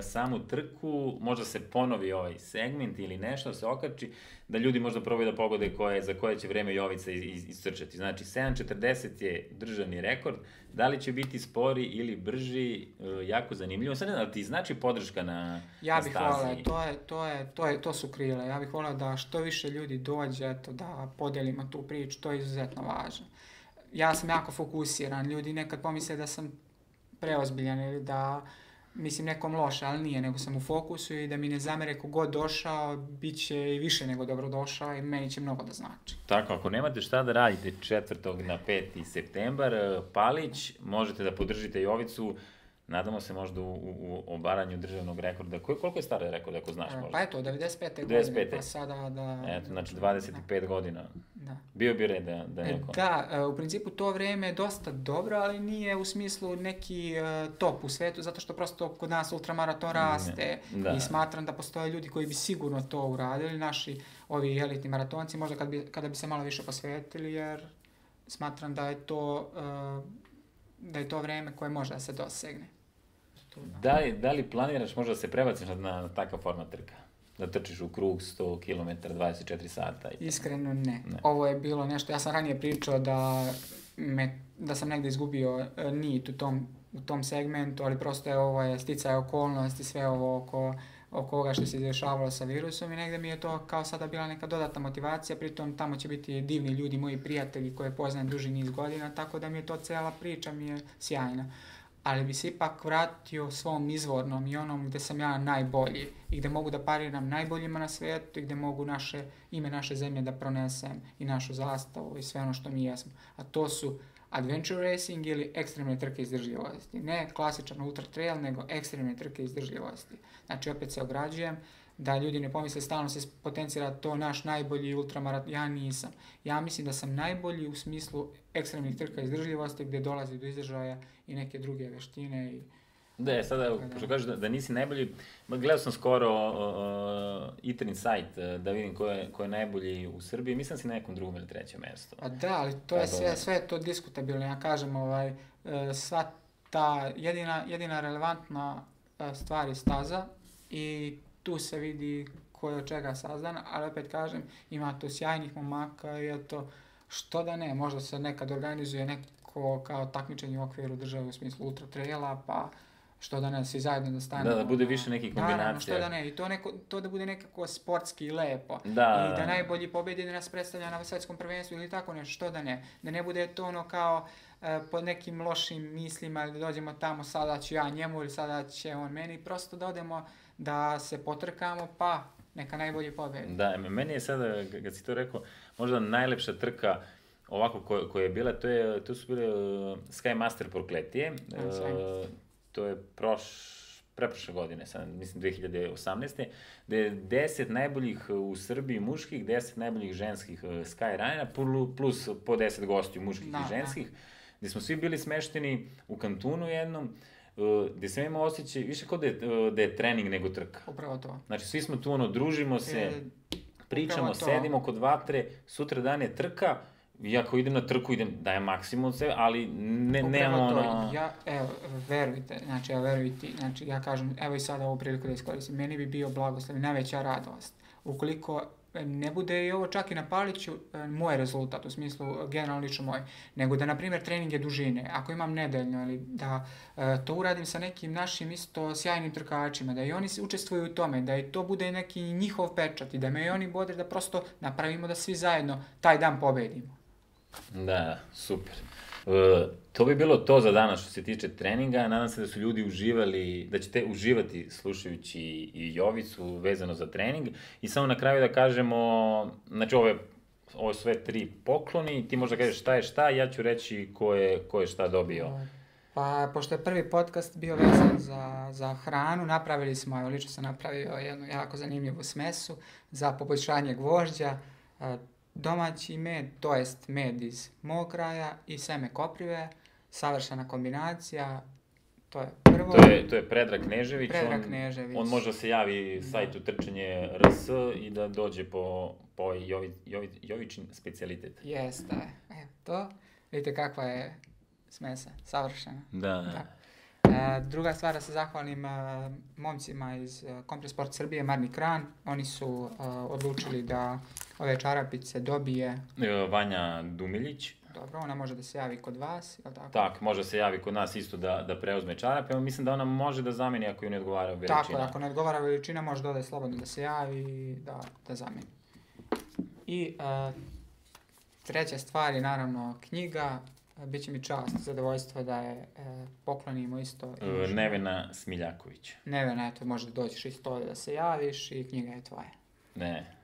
samu trku možda se ponovi ovaj segment ili nešto se okači, da ljudi možda probaju da pogode za koje će vreme Jovica iscrčati. Znači, 7.40 je državni rekord, da li će biti spori ili brži, jako zanimljivo. Sad ne znam, ti znači podrška na stazi? Ja bih volao, to su krila, ja bih volao da što više ljudi dođe, da podelimo tu priču, to je izuzetno važno. Ja sam jako fokusiran, ljudi nekad pomisle da sam preozbiljan ili da mislim nekom loše, ali nije, nego sam u fokusu i da mi ne zamere kogod došao, bit će i više nego dobro došao i meni će mnogo da znači. Tako, ako nemate šta da radite 4. na 5. septembar, Palić, možete da podržite Jovicu, nadamo se možda u obaranju državnog rekorda. Koliko je stara rekord, ako znaš možda? Pa eto, 95. godine, pa sada da... Eto, znači 25 godina. Da. Bio bi red da neko... Da, u principu to vreme je dosta dobro, ali nije u smislu neki top u svetu, zato što prosto kod nas ultramaraton raste i smatram da postoje ljudi koji bi sigurno to uradili, naši ovi elitni maratonci, možda kada bi se malo više posvetili, jer smatram da je to vreme koje može da se dosegne. Da li planiraš možda da se prebaciš na takav format trka? Da trčiš u krug 100 km 24 sata? Iskreno ne. Ovo je bilo nešto, ja sam ranije pričao da sam negdje izgubio nit u tom segmentu, ali prosto je ovo je sticaj okolnosti, sve ovo oko ovoga što se dešavalo sa virusom i negdje mi je to kao sada bila neka dodatna motivacija, pritom tamo će biti divni ljudi, moji prijatelji koje poznajem duži niz godina, tako da mi je to cijela priča mi je sjajna. Ali bi se ipak vratio svom izvornom i onom gdje sam ja najbolji i gdje mogu da pariram najboljima na svijetu i gdje mogu ime naše zemlje da pronesem i našu zastavu i sve ono što mi jesmo. A to su adventure racing ili ekstremne trke izdržljivosti. Ne klasičan ultra trail, nego ekstremne trke izdržljivosti. Znači, opet se ograđujem da ljudi ne pomisle, stalno se potencira to naš najbolji ultramaraton. Ja nisam. Ja mislim da sam najbolji u smislu ekstremnih trka izdržljivosti gdje dolazi do izražaja i neke druge veštine. Da, sada, pošto kažeš da nisi najbolji, gledao sam skoro Itrin sajt da vidim ko je najbolji u Srbiji, mislim da si na nekom drugom ili trećem mjestu. A da, ali to je sve to diskutabilno, ja kažem, sva ta jedina relevantna stvar je staza i tu se vidi ko je od čega sazdan, ali opet kažem, ima tu sjajnih momaka i eto, što da ne, možda se nekad organizuje neko kao takmičenje u okviru države u smislu ultra traila, pa što da ne, svi zajedno da stanemo. Da bude više nekih kombinacija. Naravno, što da ne, i to da bude nekako sportski i lepo. I da najbolji pobjedi da nas predstavlja na svjetskom prvenstvu ili tako nešto, što da ne. Da ne bude to ono kao pod nekim lošim mislima ili da dođemo tamo, sada ću ja njemu ili sada će on meni, prosto da odemo da se potrkamo, pa neka najbolji pobjedi. Da, meni je sada, kad si to rekao, možda najlepša trka ovako koja je bila, to su bile Sky Master Prokletije. To je preprošle godine, mislim 2018. Gde je 10 najboljih u Srbiji muških, 10 najboljih ženskih Skyrunera, plus po 10 gostiju muških i ženskih, gde smo svi bili smešteni u kantunu jednom, gde sam imao osjećaj, više kao da je trening nego trka. Upravo to. Znači, svi smo tu, družimo se, pričamo, sedimo kod vatre, sutra dan je trka, i ako idem na trku, dajem maksimum od sebe, ali nemamo ono... Verujte, znači ja kažem, evo i sada ovu priliku da iskoristim, meni bi bio blagoslov i najveća radost. Ukoliko ne bude i ovo čak i na Paliću moj rezultat, u smislu generalno lično moj, nego da, na primjer, trening je dužine, ako imam nedeljno, ili da to uradim sa nekim našim isto sjajnim trkačima, da i oni učestvuju u tome, da i to bude neki njihov pečat i da me i oni bodre da prosto napravimo da svi zajedno taj dan pobedimo. Da, super. To bi bilo to za danas što se tiče treninga. Nadam se da su ljudi uživali, da ćete uživati slušajući i Jovicu vezano za trening. I samo na kraju da kažemo, znači ovo je sve 3 pokloni, ti možda kažeš šta je šta, ja ću reći ko je šta dobio. Pa, pošto je prvi podcast bio vezan za hranu, napravili smo, lično sam napravio jednu jako zanimljivu smesu za poboljšanje gvožđa. Domaći med, to jest med iz mog kraja i seme koprive, savršena kombinacija, to je prvo. To je Predrag Knežević. On može da se javi sajtu Trčanje RS i da dođe po Jovičin specijalitet. Jeste, to. Vidite kakva je smesa, savršena. Da. Druga stvar, da se zahvalim momcima iz Kompre Sport Srbije, Marni Kran. Oni su odlučili da ove čarapice dobije... Vanja Dumiljić. Dobro, ona može da se javi kod vas, je li tako? Tak, može se javi kod nas isto da preuzme čarape. Mislim da ona može da zameni ako ju ne odgovara veličina. Tako, ako ne odgovara veličina, može da ode slobodno da se javi i da zameni. I treća stvar je naravno knjiga. Biće mi čast i zadovoljstvo da je poklonimo isto. Nevena Smiljaković. Nevena, eto, može doći isto ovdje da se javiš i knjiga je tvoja. Ne,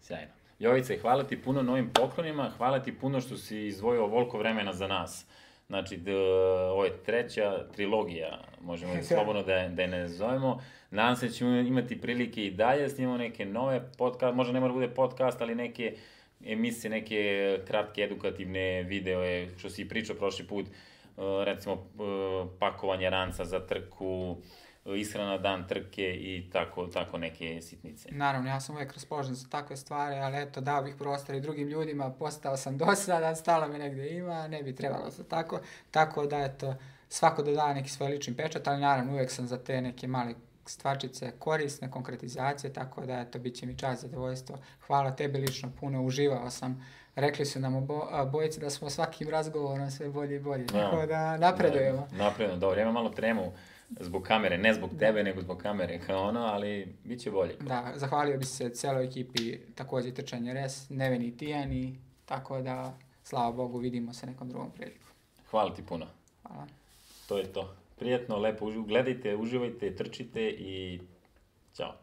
sjajno. Jovice, hvala ti puno na ovim poklonima, hvala ti puno što si izdvojio ovoliko vremena za nas. Znači, ovo je treća trilogija, možemo slobodno da je ne zovemo. Nadam se da ćemo imati prilike i dalje, snimamo neke nove podcast, možda ne mora bude podcast, ali neke emisije, neke kratke edukativne videoje, što si pričao prošli put, recimo pakovanje ranca za trku, ishrana dan trke i tako neke sitnice. Naravno, ja sam uvijek raspoložen za takve stvari, ali eto, dao bih prostor i drugim ljudima, postao sam dosadan, stalo me negdje ima, ne bi trebalo se tako. Tako da, eto, svako dodaje neki svoj lični pečat, ali naravno uvijek sam za te neke male stvarčice korisne, konkretizacije, tako da, eto, bit će mi čast, zadovoljstvo. Hvala tebi lično puno, uživao sam. Rekli su nam obojice da smo svakim razgovorom sve bolje i bolje, tako da napredujemo. Napredujemo, dobro, imam malo tremu zbog kamere, ne zbog tebe, nego zbog kamere, kao ono, ali bit će bolje. Da, zahvalio bi se cijeloj ekipi, također Trčanje RS, Neveni i Tijani, tako da, slava Bogu, vidimo se nekom drugom priliku. Hvala ti puno. Hvala. To je to. Prijetno, lepo, gledajte, uživajte, trčite i ćao.